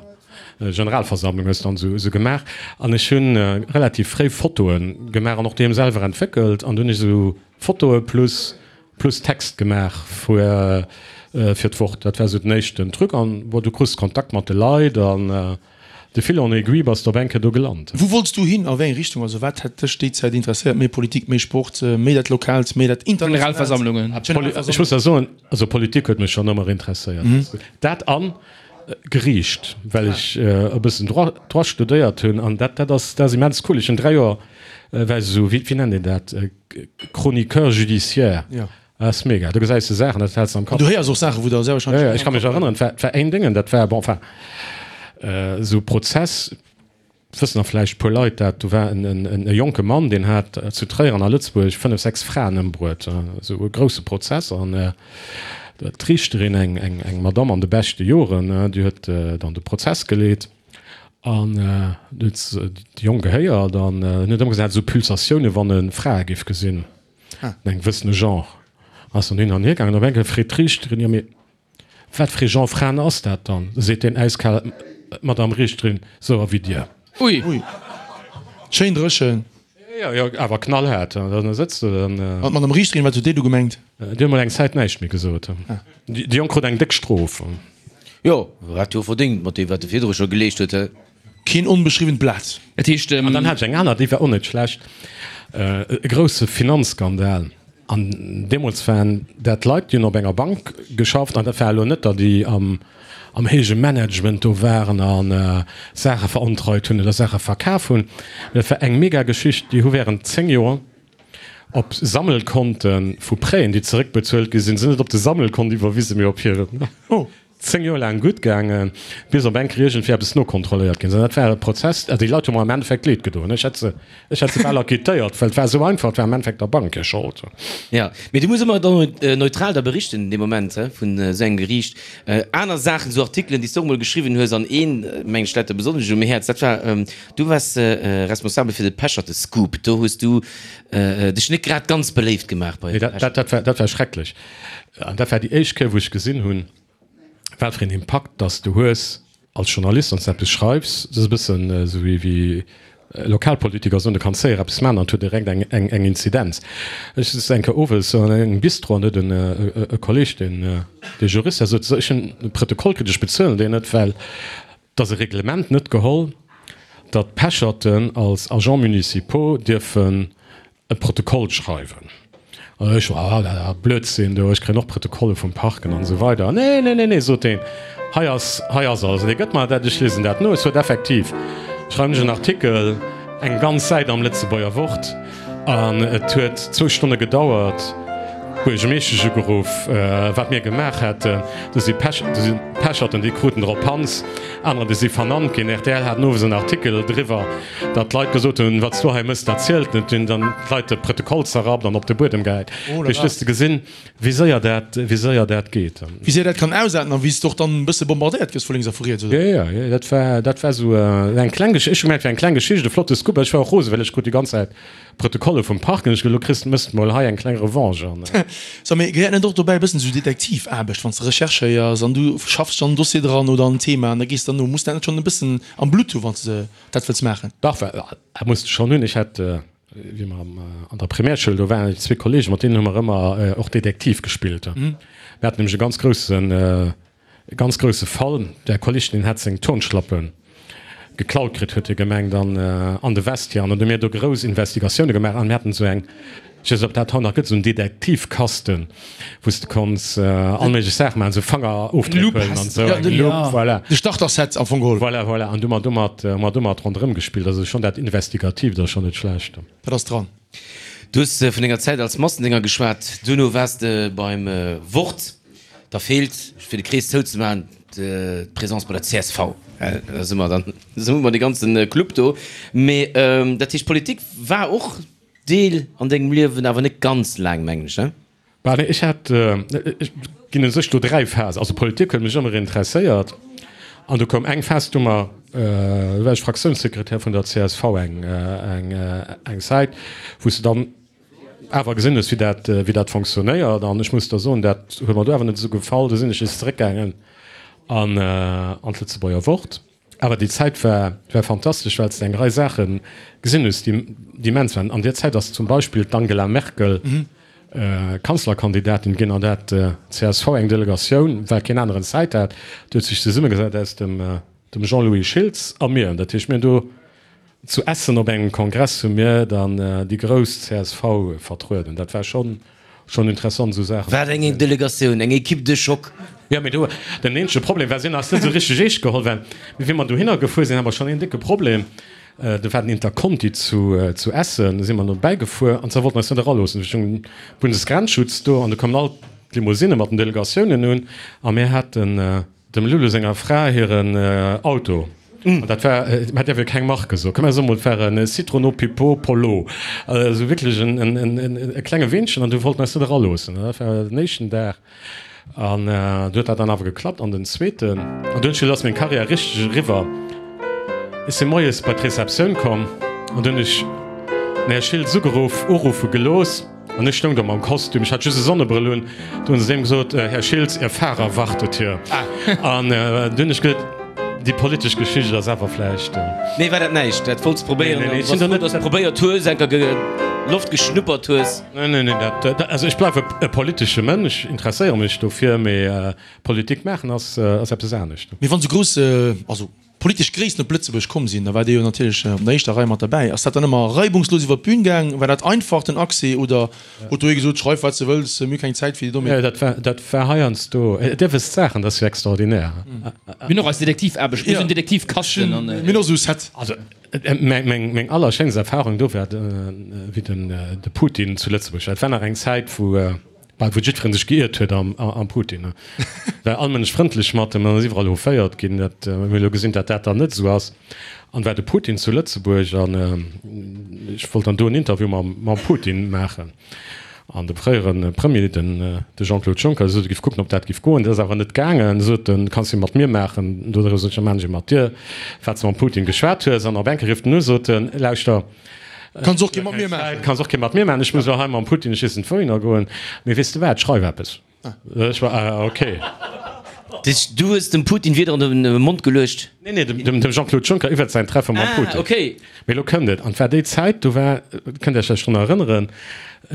Generalversammlung hues dann esou gemaach an ech hunn relativ fréi Fotoe gemaach an och déi selwer entwéckelt an du hunn ech esou Fotoe plus plus Text gemaach fir fir d'Wort. Dat war esou den éischten Truc an bon, du krus Kontakt mat de Leit an de fil en aiguille bass de op eng Kéier do gelant. Wou wollts du hin, a wéi eng Richtung? Also wat hätt dech déi Zäit interesséiert, méi Politik, méi Sport, méi dat Lokaalt, méi dat Internationaalt? Generalversammlungen. Ech muss der soen, also Politik huet mech schonn ëmmer interesséiert. Dat an Geriicht, well ech e bëssen Droit, Droit studéiert hunn an dat, dat ass, dat ass immens cool. Ech hunn dräi Joer, war ech esou, wéi, wéi nennt een dat, Chroniqueur judiciaire. Jo. Dat ass mega, do gesäis de Saachen, dat häls de am Kapp. An du héiers och Saachen, wou der sehr wahrscheinlech. Jo, jo, ech ka mech erënneren, et war, et war een Déngen, dat war, bon, enfin, esou Prozess, Wëssen nach vläicht puer Leit dat, do war en e jonke Mann, deen hat zu Tréier an a Lëtzebuerg fënnef, sechs Fraen ëmbruet, esou e grousse Prozess. An d'Riichterin, eng eng Madamm an de beschte Joren, déi huet dann de Prozess geleet an du huet se de Jong gehéiert an en huet ëmmer gesat, esou Pulsatioune wann e Frae géif gesinn, an engem gewëssene Genre. Ass dann hin an hier gaangen. Op eng Kéier freet d'Riichterin, jo mee Wat fir ee Genre Fraen ass dat dann? seet deen äiskal, D'Madame Riichterin, sou a wéi Dir. Ui. Ui. Schéin dréchen. Jo, jo, awer knallhaart. Da sëtzt de dann. An d'Madame Riichterin, wat huet déi du gemengt? Déi huet mol eng Zäit näischt méi gesot. Déi Jonk krut eng déck Strof. Jo, hat jo verdéngt mat deem, wat e virdru scho geleescht huet, he? Keen onbeschriwwent Blat. Dat heescht. An dann hat ech eng aner, déi war och net schlecht, e grousse Finanzskandal. An deemools waren dat Leit, déi hunn op enger Bank geschafft, an dat war elo net, datt déi am am héije Management do waren a Saache verontreit hunn oder Saache verkaf hunn. Mee dat war eng mega Geschicht. Déi hu während zéng Joer op Sammelkonte vu Prêten, déi zeréckbezuelt gi sinn, sinn net op de Sammelkont iwwerwisen, mee op hiren. Zéng Joer laang gutt gaangen, bis op eng Kéier iergendwéi eppes nokontrolléiert ginn ass. An dat war e Prozess, also déi Leit hu mer am Endeffekt leed gedoen. Ech hätt se, ech hätt se bal acquittéiert, well et war esou einfach, et war am Endeffekt der Bank hir Schold. Jo, mee du muss ëmmer dann neutral da berichten dee Moment he vun esou engem Geriicht. Aner Saachen, esou Artikelen, déi s de och emol geschriwwen hues, an een, mengen ech, läit der besonnesch um Häerz, dat war, du waars responsabel fir de Pecherte-Scoop. Do hues du dech net grad ganz beléift gemaach bei Nee, dat, dat war, dat war schrecklech. An dat war déi éischt Kéier, wou ech gesinn hunn, Wat fir een Impakt dass du hues als Journalist, wann s de eppes schreifs. Dat ass e bëssen esou wéi Lokalpolitiker soen, du kanns séier eppes maachen an et huet direkt eng Inzidenz. Ech sëtz eng Kéier owes an engem Bistro an do huet e Kolleeg, deen Jurist ass, sot, ech hunn e Protokoll kritt, ech bezuelen deen net, well et ass e Reglement net geholl, datt Pecherten als Agents municipaux dierfen e Protokoll schreiwen. An ech, ah, dat ass Blödsinn do, ech kréien och Protokolle vum Parken an esou weider. Nee, nee, nee, nee, sot deen, hei ass, hei ass alles. An dee gëtt mer dat, ech liesen dat no. Ech sot, effektiv, schreiwen ech en Artikel, eng ganz Säit am Lëtzebuerger Wort. An et huet zwou Stonne gedauert, d'Buergermeeschtesch ugeruff, wat mir gemaach hätten. Do si Pech, do si Pecherten, déi kruten drop Panz, anerer, déi si vernannt ginn. Rtl hat owes en Artikel driwwer. Datt d'Leit gesot hunn, Wat s du hei mëss, dat zielt net, hunn dann d'Leit de Protokoll zerrappt an op de Buedem gehäit. Fir just ze gesinn, wéi séier dat, wéi séier dat geet. Wéi séier dat kann ausaarten a wéi s de och dann e bësse bombardéiert gëss vu lénks a vu riets, oder? Jo, jo, dat war, dat war esou eng kleng Geschicht. Ech hu gemengt, et wär eng kleng Geschicht, e flotte Scoop. Ech war och rosen, well ech krut déi ganz Zäit Protokolle vum Park an ech gesot, elo kriss, mëss de mol hei eng kleng Revanche an. So, mee gehéiert net och dobäi e bëssen esou Detektivaarbecht, wann s de recherchéiers an du schaffs dech an en Dossier dran oder an en Thema an da gees de dann no? Muss dat net schonn e bëssen am Blutt hu wann s de dat wëlls maachen? Dach, dat muss de schonn hunn. Ech hat, wéi mer an der Primärschoul do waren, zwee Kollegen, mat deenen hu mer ëmmer och Detektiv gespillt. Mir haten nämlech e ganz groussen, e ganz grousse Fall. Där Kolleg, deen hat seng Turnschlappe geklaut kritt, huet hie gemengt, an an de Vestiaire. An dann hu mir do grouss Investigatioune gemaach an mir haten esou eng, ech weess net, ob dat haut nach gëtt, esou en Detektivkasten, wou s de konns all méiglech Saache maachen, esou Fangerofdréck huelen an esou, eng Lupp, voilà. De Starter-Set am Fong geholl. Voilà, voilà. An du hu mer domat, hu mer domat ronderëm gespillt. Also schonn dat Investigatiivt ass schonn net schlecht. Dat ass dran. Du hues vun denger Zäit als Massendénger geschwat, duerno waars de beim Wort. Da feelt, fir de Krees zouzemaachen, d'Presence bei der csv. Da si mer dann, da hu mer de ganze Club do. Mee dat heescht, Politik war och Deel an dengem Liewen, awer net ganz laang, mengen ech, ne? Bah, nee, ech hat, ech ginn u sech do dräi Phasen. Also Politik huet mech ëmmer interesséiert An du koum eng Phas, du mer, do war ech Fraktiounssekretär vun der C S V eng, eng, eng Zäit, wou s de dann awer gesinn hues, wéi dat, wéi dat fonctionnéiert. An ech muss der soen, dat huet mer do awer net esou gefall. Du sinn ech nees zeréckgaangen an, an d'Lëtzebuerger Wort. Awer déi Zäit war, war fantastesch, well s de eng Rei Saache gesinn hues, déi, déi immens waren. An där Zäit ass zum Beispill d'Angela Merkel Kanzlerkandidatin ginn an dat C S V eng Delegatioun, well keen aneren Zäit hat, déi huet sech zesummegesat aus dem, dem Jean-Louis Schiltz a mir. Dat heescht, mir hunn do zu Essen op engem Kongress hu mir dann déi grouss C S V vertrueden. Dat war schonn, schonn interessant, esou Saachen. Wat eng Delegatioun, eng Equipe de choc! Jo, mee do, den eenzege Problem war, si hunn eis net esou richteg eescht geholl, well wéi mer dohinner gefuer sinn, hate mer schonn een décke Problem. Do war den Interconti zu, zu Essen, do si mer dobäi gefuer an zwar wollten eis net eraloossen. Do stoung Bundesgrenzschutz do an do koumen all d'Limousinne mat den Delegatiounen un a mir haten dem Lulu senger Fra hiren Auto. An dat war, mä däerf jo keng Marke soen, komm mer soe mol, et war e Citroën Pipo Polo, also wierklech en, en, en, e klenge Weenchen an do wollten eis net eraloossen. Dat war den éischten Dag. An du huet dat dann awer geklappt. An den zweeten, an dunn ass meng Karriär richteg eriwwer. Ech si moies bei d'Receptioun komm an dunn hunn ech den Här Schiltz ugeruff, uruffe gelooss an ech stoung do mam Kostüm, ech hat just e Sonnebrëll un. Du hunn se deem gesot, Här Schiltz, Ihr Fahrer wartet hier. An du hunn ech gesot, déi politesch Geschicht ass awer vläicht. Nee, war dat näischt? Dat wollts probéieren an du bass frou, dass de probéiert hues, enker Loft geschnuppert hues. Nee, nee, nee, dat, also ech bleiwe e politesche Mënsch, interesséiere mech dofir, mee Politik maachen ass, ass eppes anescht. Mee wann esou grouss, also politesch Gréissten op Lëtzebuerg komm sinn, da waart Dir jo natierlech op der éischter Rei mat derbäi. Ass dat dann ëmmer reibungslos iwwer d'Bün gaang? War dat einfach den Accès oder huet do ee gesot, schreif wat s de wëlls, mir hu keng Zäit fir déi domm. Nee, dat war, dat war heiansdo, Dir wësst Saachen, dat ass jo extraordinär. Mir hunn och eis Detektivaarbecht, mir hunn esou en Detektivkasten an. Mir hunn och esou e Set. Also meng allerschéinst Erfahrung do war, wéi den de Putin zu Lëtzebuerg war. Et war nach eng Zäit, wou bal wou jiddweree sech geiert huet am am Putin. War all Mënsch frëndlech mat em an ass iwwerall houféiert ginn. Dat hu mir elo gesinn, datt dat dann net esou ass. An war de Putin zu Lëtzebuerg an ech wollt dann do en Interview mam mam Putin maachen. An de fréiere Premier, den de Jean-Claude Juncker, sot, e giff kucken, ob dat giff goen. Dat ass awer net gaangen. Sot en, kanns jo mat mir maachen. Do sot ech, da maan ech e mat dir, wat s de mam Putin geschwat hues. An op eng Kéier rifft en u, sot en, lauschter, Kanns och kee mat mir maachen. Kanns och kee mat mir maachen. Ech muss elo hei mam Putin, ech weess net wouhinner goen. Mee weess de wat, schreif eppes. Ech war, ah, okay. Du hues dem Putin Wierder an de Mond geluecht? Nee, nee, dem Jean-Claude Juncker iwwert säin Treffe mam Putin. Ah, okay. Mee elo kënnt et. An et war déi Zäit, do war, kënnt Iech vläicht drun erënneren,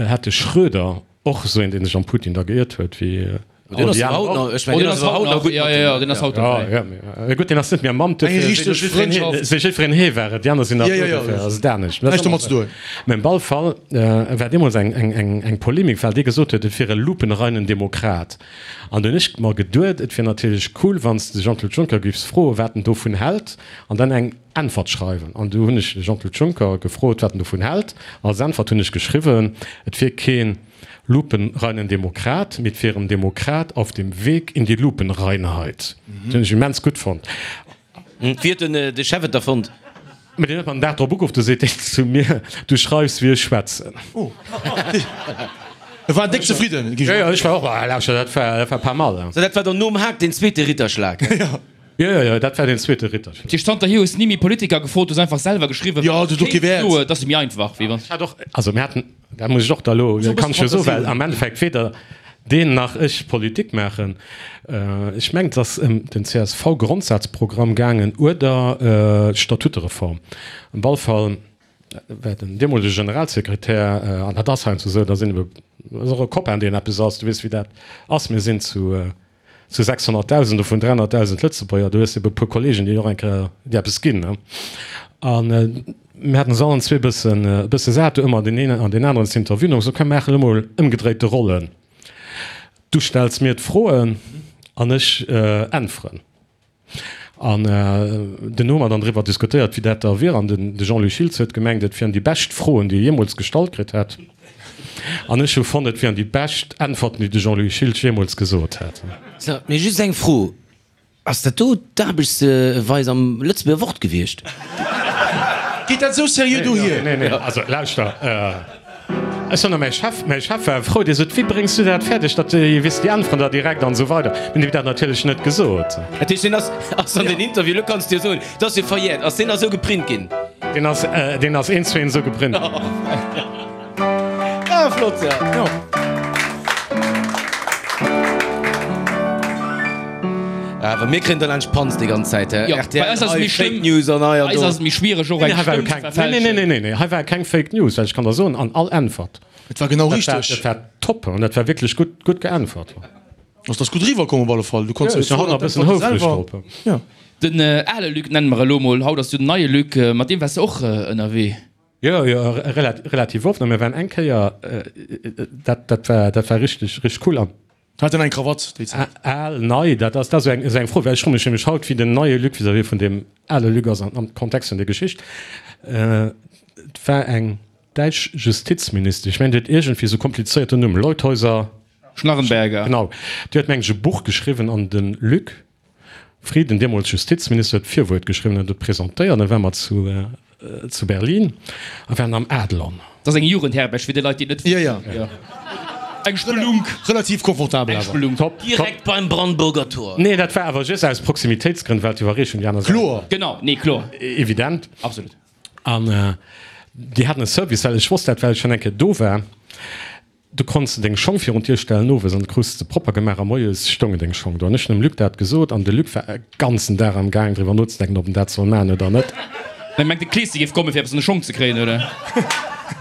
hat de Schröder, och esou een, dee sech am Putin da geiert huet, wéi all déi aner och. Ech mengen, deen ass haut nach gutt mat dem. Deen ass haut nach gutt. Jo, jo, mee gutt, deen ass net méi am Amt, Eng richteg Frëndschaft. Sou jiddwereen hee war et, déi aner sinn nach do, dofir ass et anescht. Näischt domat ze doen. Mee op alle Fall war deemools eng, eng, eng, eng Polemik, well dee gesot huet, et wier e lupenreinen Demokrat. An do hunn ech mer geduet, et wier natierlech cool, wann s de Jean-Claude Juncker giffs froen, wat en dovun hält, an dann eng Äntwert schreiwen. An du hunn ech de Jean-Claude Juncker gefrot, wat en dovun hält. Als Äntwert hunn ech geschriwwen, et wier kee lupenreinen Demokrat, mee et wier en Demokrat auf dem Weg in die Lupenreinheit. Dat hunn ech immens gutt fonnt. Wéi huet den de Chef et da fonnt? Mee deen huet mer den Dag drop ugeruff, du seet deen zu mir, Du schreifs wéi ech schwätzen. Oh, e war déck zefridden. Jo, jo, ech war och, ah, lauschter, dat war, dat war pas mal. So, dat war dann nom Haag deen zweete Ritterschlag? Jo, jo, jo, dat war deen zweete Ritterschlag. Dat heescht, zanterhier hues ni méi Politiker gefrot, du hues einfach selwer geschriwwen, Jo, du hues och kee Wäert. Dat ass méi einfach, wéi wann. Ech hat och, also mir haten, dat muss ech och da elo, kann ech jo soen, well am Endeffekt weder deen nach ech Politik maachen. Ech mengen, et ass ëm den C S V-Grondsazprogramm gaangen oder d'Statutereform. Op alle Fall war den deemolege Generalsekretär, an dat ass heiansdo esou, da sinn ebe, ass och e Copain, deen eppes ass, du weess wéi dat ass, mir sinn zu zu sechshonnertdausend, dovun dräihonnertdausend Lëtzebuerger, du hues ebe e puer Kollegen, déi och eng Kéier dir eppes ginn. An mir haten se allen zwee e bëssen, e bësse sat, do ëmmer deen een an deen aneren z'interviewen, hu mer gesot, komm mir maachen elo mol ëmgedréite Rollen, du stells mir d'Froen an ech äntweren. An dunn hu mer dann driwwer diskutéiert, wéi dat da wier. An de Jean-Louis Schiltz huet gemengt, et wieren déi bescht Froen, déi e jeemools gestallt kritt hätt. An ech hu fonnt, et wieren déi bescht Äntwerten, déi de Jean-Louis Schiltz jeemools gesot hätt. So, mee just eng Fro, Ass dat do d'Aarbechtsweis am Lëtzebuerger Wort gewiescht? Geet dat esou seriö dohier? Nee, nee, also lauschter. Ech soen, a mäi Chef, mäi Chef war frou, dee sot, Wéi bréngs du dat fäerdeg, datt déi, weess de, déi äntweren der direkt an esou weider. Mir hunn him dat natierlech net gesot. Dat heescht, deen ass, ass an den Interview, elo kanns de jo soen, et ass jo verjäert, ass deen esou geprint ginn? Deen ass, deen ass eent zu eent esou geprint ginn. Ah, flott, ja. Awer mir kréien da laanscht d'Panz déi ganz Zäit, hä? Jo, bei eis ass et méi Fake schlëmm. News an hei an Bei eis do. ass et méi schwiereg, och Nee, eng hei war jo Stëmm ze keng, nee, nee, verfälschen. nee, nee, nee, hei war keng Fake News, well ech kann der soen, an all Äntwert, Et war genau dat war, richteg. dat war top an dat war wierklech gutt, gutt geäntwert. Also, dat ass gutt eriwwerkomm op alle Fall. Du konns Jo, ech sinn haut nach e bëssen houfreg drop. Ja. Den ale Luc nenne mer elo mol, haut ass jo den neie Luc, mat deem waars de och ënnerwee. Jo, jo, relativ oft. A mir waren eng Kéier, dat, dat war, dat war richteg, richteg cool. An. Hat en eng Krawatt déi Zäit? Al, nei, dat ass, dat ass esou eng, esou eng Fro, well ech froe mech nämlech haut, wéi den neie Luc vis-à-vis vun deem ale Luc ass am Kontext vun der Geschicht. Et war eng däitsch Justizministesch, ech mengen, déi huet iergendwéi esou komplizéierten Numm, Leutheuser. Schnarrenberger. Genau, déi huet, mengen ech, e Buch geschriwwen an de Luc Frieden, deemools Justizminister, huet d'Virwuert geschriwwen an huet et presentéiert. Dann ware mer zu, zu Berlin a waren am Adlon. Dat ass eng Jugendherberg fir déi Leit, déi et net wëssen. Jo, jo. Eng Spelunk. Relativ confortabel Eng awer. Spelunk. Top, top. Direkt beim Brandenburger Tor. Nee, dat war awer just aus Proximitéitsgrënn, well d'Iwwerreechung déi aner Säit. Kloer. Genau, nee, kloer. Evident. Absolut. An déi haten e Service, well ech wosst dat, well ech schonn eng Kéier do war. Du konns de deng Schong virun d'Dier stellen owes an du krus se propper gemaach a moies stoungen deng Schong do. An ech hunn dem Luc dat gesot an de Luc war e ganzen Dag am gaang driwwer nozedenken, ob en dat soll maachen oder net. Mä mengt de Kleessi géif kommen fir eppes an de Schong ze kréien, oder?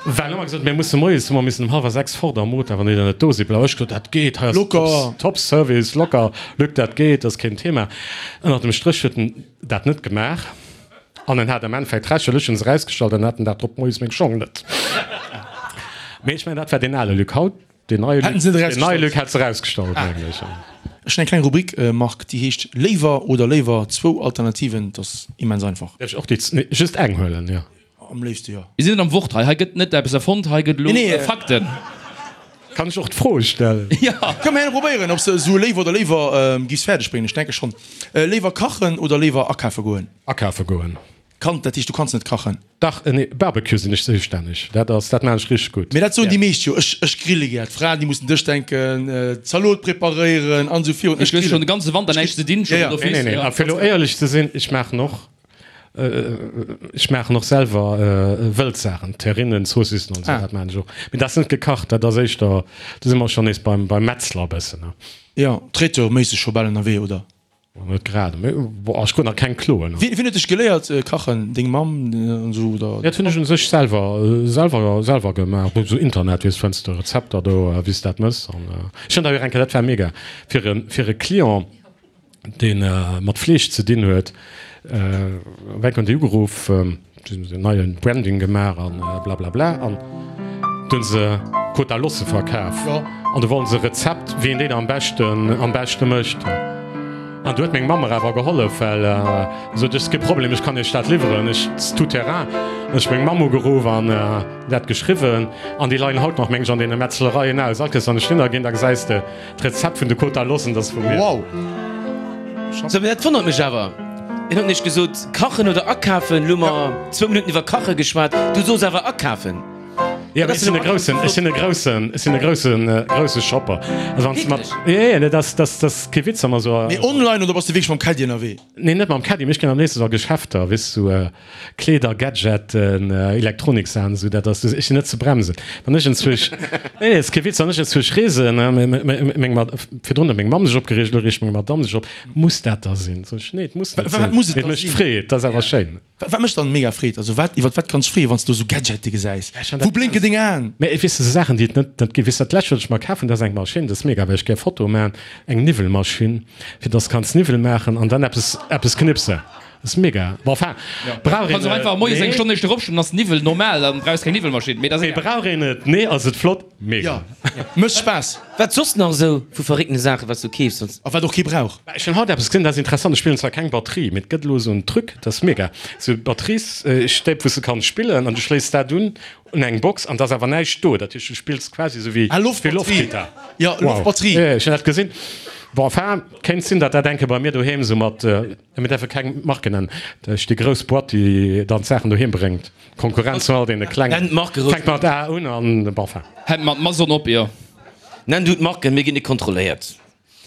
Well hu mer gesot, mir musse moies, hu mer missen um hallwer sechs fort am Motor, wann déi dann net do sinn. Bla. Ech gesot, dat geet, hei ass Locker. Top Service, locker, Luc, dat geet, dat ass keen Thema. Ënnert dem Stréch huet en dat net gemaach. An en hat am Endeffekt Recht, well ech hunn se erausgestallt an hat den Dag drop moies meng Schong net. Mee ech mengen, dat war deen ale Luc. Haut, deen neie Luc, Hätten se net deen neie erausgestallt. Luc hätt se erausgestallt, mengen ech. Ech hunn eng kleng Rubrik, Marc, déi heescht Léiwer oder léiwer, zwou Alternativen. Dat ass immens einfach. Däerf ech och déi, nee, just eng huelen, jo. Am léifste jo. Mir sinn net am Wort hei. Hei gëtt net eppes erfonnt, hei gëtt elo Nee, nee. Fakten. Kann ech och d'Froe stellen? Jo. Kënne mer herno probéieren, ob s de esou Léiwer oder léiwer giffs fäerdeg bréngen. Ech denke schonn. Léiwer kachen oder léiwer akafe goen? Akafe goen. Kann, dat heescht, du kanns net kachen? Dach, nee, Barbecue sinn ech zoustänneg. Dat ass, dat maachen ech richteg gutt. Mee dat soen déi meescht jo, ech, ech grille gär. D'Fraen, déi mussen Dësch denken, Zalot preparéieren an esou virun. Ech hues schonn de ganze Wanter näischt ze dinn, schonn Ja, ja. d'office. Nee, nee, nee. A fir elo éierlech ze sinn, ech maachen och. Ech maachen och selwer Wëldsaachen, Terrinen, Zoossissen an esou, dat maachen ech och. Mee dat ass net gekacht, dat ass éischter, do si mer schonn nees beim Metzler e bëssen. Jo, Traiteur-méisseg scho bal ënnerwee, oder? Net grad, mee bon, ech krut nach keng Kloen. Wien huet dech geléiert kachen? Deng Mamm an esou, oder? Dat hunn ech un sech selwer, selwer, selwer gemaach. Esou Internet, weess, fënns de Rezepter do, wéi s de dat mëss. An ech hunn der jo eng Kéier, dat war mega, fir e, fir e Client, dee mat Fleesch ze dinn huet, wéi hunn déi ugeruff, si hunn en neie Branding gemaach an blablabla an du hunn se Côte d'Alosse verkaf an du wollten se e Rezept, wéi een deen am beschten am beschte mécht. An du huet meng Mamm mer awer gehollef, well se sot, et ass kee Problem, ech kann iech dat liwweren, ech tout terrain. An ech meng Mamm ugeruff an dat geschriwwen an déi leien haut nach, meng ech, an deene Metzlereien aus. All Kéiers wann ech hinner ginn, da gesäis de d'Rezept vun de Côte d'Alossen, dat ass vu mir. Wow! Sou, mee dat wonnert mech awer. Een huet nämlech gesot, kachen oder akafen. Elo hu mer zwou Minutten iwwer kache geschwat, du sos awer akafen. Jo, mee ech sinn e groussen, ech sinn e groussen, ech sinn e groussen, grousse Shopper. Also wann s de mat, jo, jo, nee, dat ass, dat ass kee Witz, wa mer esou. Mee online oder bass de wierklech mam Caddie ënnerwee? Nee, net mam Caddie, mee ech ginn am léifsten esou a Geschäfter, weess du, Kleeder, Gadgeten, Elektroniksaachen, esou, dat ass, ech sinn net ze bremsen. Wann ech enzwuesch, nee, nee, ass kee Witz, wann ech enzwuesch reesen, meng Mad, virdrun huet meng Mamm sech opgereegt, elo reegt meng Madamm sech op, muss dat da sinn? Sot ech, nee, et muss net Wat sinn, muss et mee et da mécht sinn? Freed, dat ass awer schéin. Wat mécht dann mega Freed? Also wat, iwwert wat kanns freeën, wann s du esou Gadgete gesäis? Wou blénken deng Aen? Mee weess de, esou Saachen, déi et net, net ginn, weess de, dat lescht, wat ech mer kaf hunn, dat ass eng Maschinn, dat ass mega, well ech gär Fotoe maachen, eng Niwwelmaschinn, fir dass s kanns Niwwel maachen an dann eppes, eppes knipsen. Ass mega. Bon, enfin, brauch een Kanns och et? einfach moies eng Nee. Stonn éischter opstoen, ass Niwwel normal, dann brauchs keng Niwwelmaschinn. Mee dat ass Mee egal. brauch een et? Nee. Ass et flott? Mega. Jo, mécht Spaass. Wat soss nach esou vu verréckte Saachen, wat s du keefs? A wat och kee brauch. Ech hunn haut eppes gesinn, dat ass interessant. Ech spillen zwar keng Batterie, mee et gëtt elo esou en Truc, dat ass mega. Esou Batteriesstäb, wou s de kanns spillen an du schléiss dat un un eng Box an et ass awer näischt do. Dat heescht, du spills quasi esou wéi Ah, Loftbatterie. Loftgittar. Jo, Loftbatterie. Wow. Ech hunn dat gesinn. Bon, enfin, kéint sinn, datt dat eng Kéier bei mir doheem esou mat, mir däerfe keng Marken nennen, duerch déi grouss Boîte, déi dann d'Saachen doheem bréngt, Konkurrenz zu all deene klengen. Nenn d'Marke roueg. Fänkt mat A un an, bon, enfin. Hält mat Amazon op, jo. Nenn du d'Marken, mir ginn net kontrolléiert.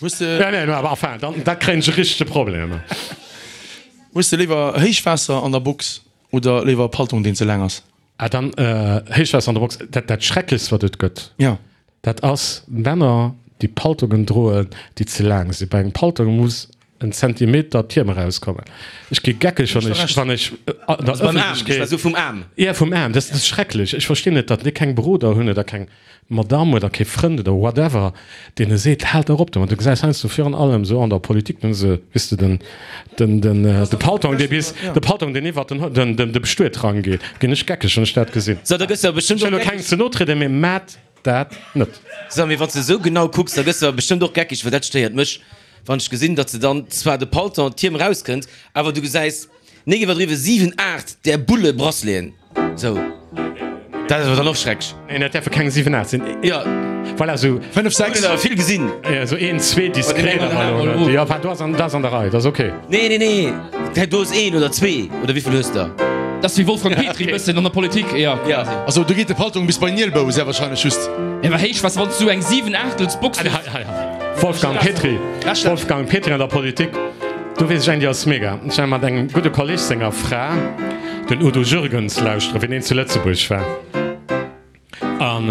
Hues de. Nee, nee, awer enfin, dann, da kréien ech e richtege Problem. Hues de léiwer Héichwaasser an der Box oder léiwer e Paltong, deen ze laang ass? Ah, dann Héichwaasser an der Box, dat, dat Schrecklechst, wat et gëtt. Jo. Dat ass Männer, déi Paltongen droen, déi ze laang sinn. Bei engem Paltong muss en Zentimeter d'Hiem erauskommen. Ech gi geckeg, wann ech, wann ech an der Ëffentlechkeet. Beim Aarm, vum Aarm. Ja, vum Aarm. Dat ass schrecklech. Ech verstinn net, datt déi keng Beroder hunn oder keng Madame oder kee Frënd oder whatever, deen e seet, Haalt dach op domat. Du gesäis heiansdo virun allem esou an der Politik, dann hu se, weess de, den, den, den, de Paltong, dee bis, de Paltong, deen iwwert den, den, den, de Bestuetrang geet. Ginn ech geckeg, wann ech dat gesinn. So, da gëss de awer bestëmmt Ech wëll och elo geckeg. kengem ze no trieden, mee maat dat net. So, mee wann s de esou genau kucks, da gëss de awer bestëmmt och geckeg, well dat stéiert mech, wann ech gesinn, datt se dann zwar de Paltong, d'Hiem erauskënnt, awer du gesäis, nik iwwerdriwwen, siwen, aacht där Bulle Braceleten. Sou, dat ass awer dann och schrecklech. Neen, dat däerfe keng siwen, aacht sinn. Jo. Voilà, sou. Fënnef, sechs. Hunn der vill gesinn. Jo, sou een, zwee diskret awer elo net. Jo, enfin, do ass an, dat ass an der Rei, dat ass ok. Nee, nee, nee, dat do ass een oder zwee, oder wéivill hues der? Dat ass wéi Wolfgang Petry bëssen an der Politik, jo, quasi. Also do geet de Paltong bis bei den Nielbou, sehr wahrscheinlech just. Jo, awer héich, was, wann s du eng siwen-Aachtels-Box hues. Hei, hei, hei. Wolfgang Petry, Wolfgang Petry an der Politik, do weess ech eng, déi ass mega. Ech war mat engem gudde Kolleg senger Fra, den Udo Jürgens, lauschteren, wéi deen zu Lëtzebuerg war. An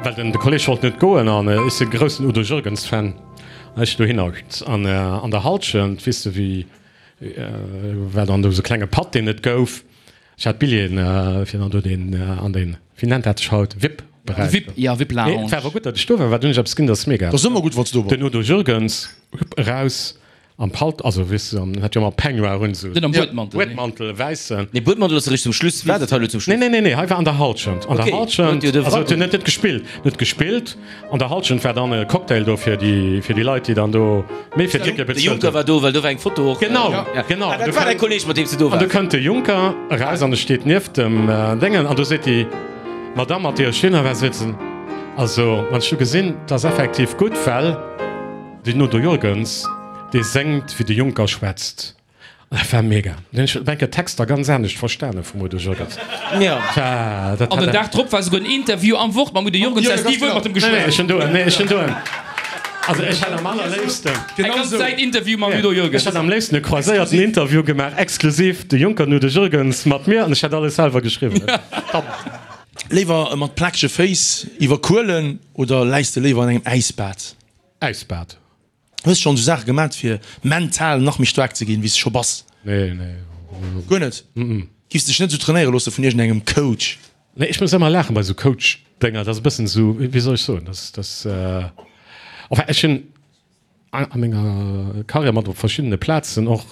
well den de Kolleg wollt net goen an ech si groussen Udo Jürgens Fan, an ech dohinner an an der Halschent, weess de wéi war dann do esou klenge Patt deen et gouf. Ech hat Billjeeën fir dann do deen an deen, wéi nennt dat sech haut, Vip Beräich. Vip, ja, Vip Mee Lounge. et war awer gutt, datt ech do war, well dunn hunn ech eppes gesinn, dat ass mega. Dat ass ëmmer gutt, wann s du do bass. Den Udo Jürgens, hup, eraus am Palt, also weess de, en hat jo ëmmer Peignoir un, esou Den am Buedmantel, nee. Buedmantel, e wäissen. Nee, Buedmantel ass eréischt zum Schluss. War dat hei elo zum Schluss? Nee, nee, nee, nee, hei war an der Halschent. An der Okay, Halschent, huet jo de also Frank huet net net gespillt, net gespillt. An der Halschent war dann e Cocktail do fir déi, fir déi Leit, déi dann do méi fir d'Tickete De bezuelt Juncker hunn. war do, well do war eng Foto och. Genau, Ja. genau. Ah, dat war däi Kolleg, mat deem s du do An do waars. kënnt de Juncker eraus an e steet nieft dem Déngen an do seet déi Madamm, mat deer ech hinner war sitzen, Also, wann ech do gesinn, 't ass effektiv gutt, well den Udo Jürgens, dee séngt, wéi de Juncker schwätzt. An dat war mega. Dunn hunn ech op eng Kéier d'Texter ganz anescht verstane vum Udo Jürgens. Ja. Dat war, dat An den hat. Dag drop war souguer en Interview am Wort mam Udo Jürgens, Jo, du has ganz ni wuel genau. mat em Nee, nee, geschwat. ech hunn do, nee, ech hunn do en, also ech hätt am allerléifsten. Eng ganz Säit Interview mam Udo Ech Jürgens. hätt am léifsten e croiséierten Interview gemaach, exklusiv de Juncker an Udo Jürgens mat mir, an ech hätt alles selwer geschriwwen. Top. Léiwer mat plakege Féiss iwwer Kuelen oder läis de léiwer an engem Äisbad? Äisbad. Hues schonn esou Saache gemat fir mental nach méi staark ze ginn wéi s de scho bass? Nee, nee. Guer net? Giffs dech net esou trainéiere loosse vun iergendengem Coach? Nee, ech muss ëmmer laachen bei esou Coach-Dénger. Dat ass e bëssen esou, wéi soll ech soen, dat dat, enfin ech hunn a menger Karriär mat op verschiddene Plazen och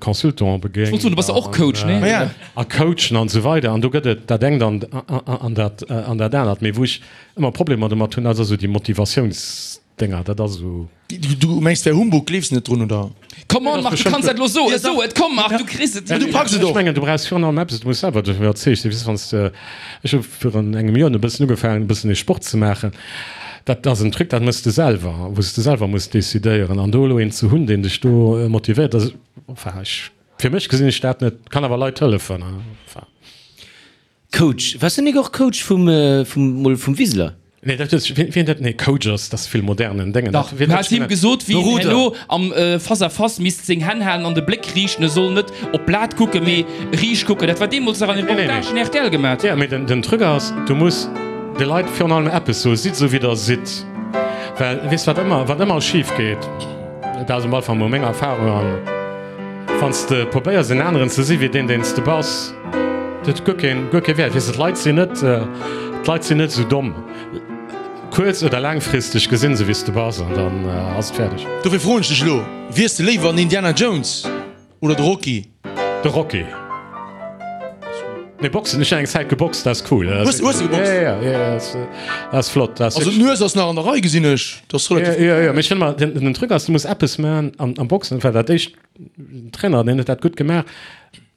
Consultante begéint. Ech wollt soen, du bass jo och Coach, nee? Ja. A Coachen an esou weider an do gëtt et dat engt an an dat an dat anert. Mee wou ech ëmmer Problemer domat hunn, dat ass esou déi Motivatiouns. Dénger, dat ass esou. Du mengs wär Humbug, gleefs net drun oder? Come on Marc, du kanns dat lo soen, so et, komm Marc, du kriss et. Du packs et och. Ech mengen du brauchs virun allem eppes, du muss selwer dovun iwwerzeegt sinn. Weess wann s de, ech hu virun engem Joer e bëssen ugefaangen e bëssen ee Sport ze maachen, dat ass en Truc, dat méchs de selwer, wou s de selwer muss decidéieren an do elo een ze hunn, deen dech do motivéiert, dat ass, enfin ech, fir mech gesinn ech dat net, kann awer Leit hëllefen, enfin. Coach, waars du nik och Coach vum, vum, mol vum Wiseler? Nee, dat huet sech, wien dat, nee, Coach ass, dat ass vill modernen Déngen. Dach, du has him gesot, wéi en herno am Face à Face misst seng Hänn halen an de Bléck riichten, e soll net op d'Blat kucken, mee riicht kucken. Dat war deemools nach an den Reportagen R T L gemat. Jo, mee den Truc ass, du muss de Leit virun allem eppes soen, sidd esou wéi der sidd, well weess wat ëmmer, wat ëmmer schif geet, dat ass am Fall mol meng Erfahrung, an wann s de probéiers en aneren ze si wéi deen, deen s de bass, dat huet guer keen, guer kee Wäert. Weess de, d'Leit sinn net, d'Leit sinn net esou domm. Kuerz oder laangfristeg gesinn se wéi s de bass an dann ass et fäerdeg. Dofir froen ech dech elo, Wiers de léiwer en Indiana Jones oder de Rocky? De Rocky. Nee, Boxen, ech hunn eng Zäit geboxt, dat ass cool. Hues hues de geboxt? Ja, ja, ja, ja, dat ass flott. Dat ass Also d'Nues ass nach an der Rei, gesinn ech. Dat ass relativ. Ja, ja, ja, mee ech fënn emmer, den, den Truc ass, du muss eppes maachen am, am Boxen, well dat éischt, den Trainer, deen huet dat gutt gemaach,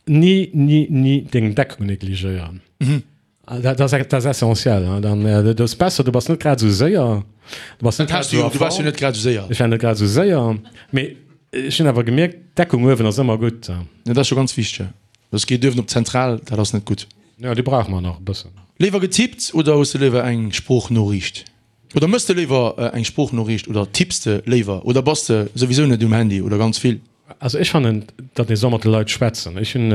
ni, ni, ni deng Deckung negligéieren. Dat ass, dat ass essentiell. Dann, du ass besser, du bass net grad esou séier, du bass net Dat grad has du esou jo, a du waars jo Form. net grad esou séier. Ech war net grad esou séier, mee ech hunn awer gemierkt, d'Deckung uewen ass ëmmer gutt. Ja, dat ass scho ganz wichteg. Soss geet uewen op d'Zentral, dat ass net gutt. Jo, déi brauche mer nach e bëssen. Léiwer getippt oder hues de léiwer eng Sproochnoriicht? Oder mëss de léiwer eng Sproochnoriicht oder tipps de léiwer oder bass de souwisou net um Handy oder ganz vill? Also ech fannen, datt ee soll mat de Leit schwätzen. Ech hunn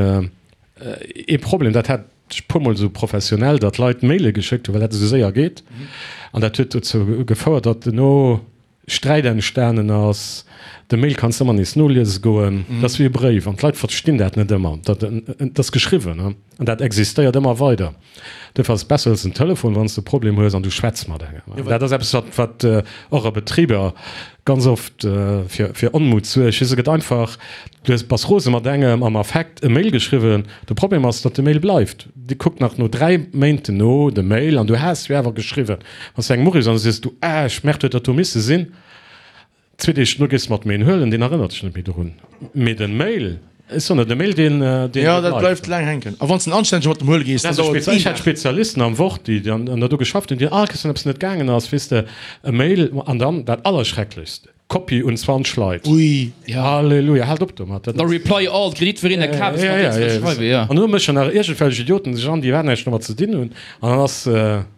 ee Problem, dat hat ech puermol esou professionell, datt Leit Maile geschéckt hunn, well dat esou séier geet. An dat huet dozou gefouert, datt duerno Sträit entstanen ass. De Mail kanns de ëmmer nees noliese goen. Dat ass wéi e Bréif an d'Leit verstinn dat net ëmmer. Dat ass geschriwwen an dat existéiert ëmmer weider. Duerfir ass et besser, huels den Telefon, wann s de e Problem hues an du schwätz mat engem. Dat ass eppes, wat wat och a Betriber ganz oft fir fir Onmut suergt. Se gëtt einfach, du hues bass rose mat engem, am Affekt e Mail geschriwwen. De Problem ass, datt de Mail bleift. Déi kuckt nach no dräi Méinten no de Mail an du has jo awer geschriwwen. Wann s du engem uriffs an du sees, du, ah, ech merkt huet dat do misse sinn. Zwee Deeg duerno gees de mat em een huelen, deen erënnert sech net méi dorun. Mee den Mail, ech soen der, de Mail deen, deen Jo, dat bleift laang hänken. A wann s de anstänneg mat dem huele gees, dann dauert et een Ech hat Dag. Spezialisten am Wort, déi an der do geschafft hunn, déi all Kéiers, wann eppes net gaangen ass, weess de, e Mail an dann dat Allerschrecklechst, Kopie un zwanzeg Leit. Ui. Halleluja, haalt op domat. Dat Da ass. Reply all, d'Kreditvereener Kabes Ja, mat ja, deenen ze ja. schreiwen, ja. An do mëschen nach iergendwelch Idioten sech an, déi iwwerhaapt näischt domat ze dinn hunn, an dann ass,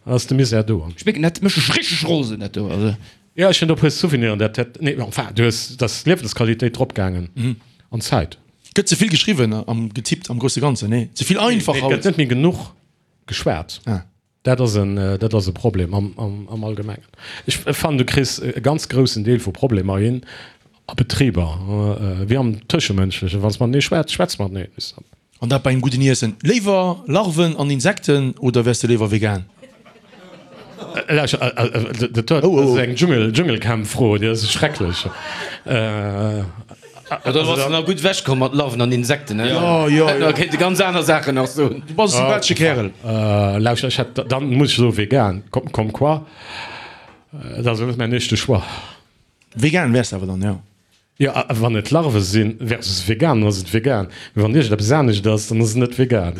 ass de Misär do. Ech mierken, dat mécht mech richteg rosen, dat do, also. Jo, ech hunn do e puer Souveniren, dat dat, nee, enfin, du hues, dat ass d'Liewensqualitéit drop gaangen an d'Zäit. Gëtt ze vill geschriwwen am getippt am grousse Ganzen, nee? Ze vill einfach Nee, et haut. gëtt net méi genuch geschwat. Ah. Dat ass en, dat ass e Problem am, am, am Allgemengen. Ech fannen, du kriss e ganz groussen Deel vu Problemer hin a Betriber, wéi am Tëschemënschlechen. Wann s matenee schwätz, schwätz mateneen. An dat bei engem gudden Iessen. Léiwer Larven an Insekten oder wäers de léiwer vegan? Lauschter, dat ass eng Dschungel, Dschungelcamp-Fro, déi ass schrecklech. Da bass de nach gutt ewech komm mat Larven an Insekten, he? Jo, jo, jo. Da kéint de ganz aner Saachen nach soen. Du bass e sympathesche Kärel. Lauschter, ech hätt, dann muss ech soe vegan, comme quoi, dat ass net mäin éischte Choix. Vegan wäers de awer dann, jo? Jo, wann et Larve sinn versus vegan, dann ass et vegan. Mee wann iergendeppes anescht ass, dann ass et net vegan.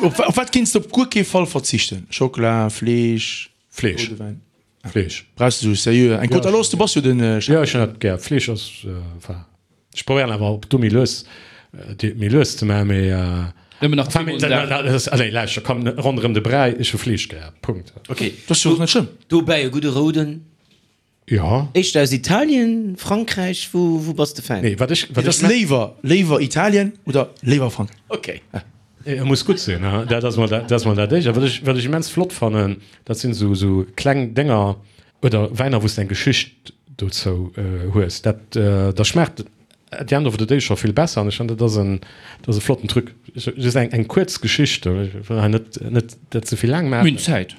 Op wat kéints de op guer kee Fall verzichten? Schockela, Fleesch, Fleesch. roude Wäin? Fleesch. Brauchs de sou seriö eng Côte? Alors, du bass jo den Chef. Jo, ech hunn dat gär. Fleesch ass, enfin, ech probéieren awer op do méi lues, déi méi lues ze maachen, mee, Nëmmen nach enfin, zweemol den mee, Dag. dat ass, allez, lauschter, komm, ronderëm de Bräi, ech hu Fleesch gär, Punkt. Ok, Dat ass jo och net schlëmm. Dobäi e gudde rouden. Jo. Éischter aus Italien, Frankräich, wou, wou bass de Fan? Nee, wat ech, wat Et ech ass léiwer, léiwer Italien oder léiwer Frankräich? Ok. Et muss gutt sinn, dat ass mol dat, dat ass mol dat Éischt. A wat ech, wat ech immens flott fannen, dat sinn esou, esou kleng Dénger oder Wäiner, wou s de eng Geschicht dozou hues. Dat, da schmaacht at the end of the day scho vill besser. An ech fannen, dat ass en, dat ass e flotten Truc. Just eng, eng kuerz Geschicht, ech wëll hei net, net dat ze vill laang Mir hunn maachen. Zäit.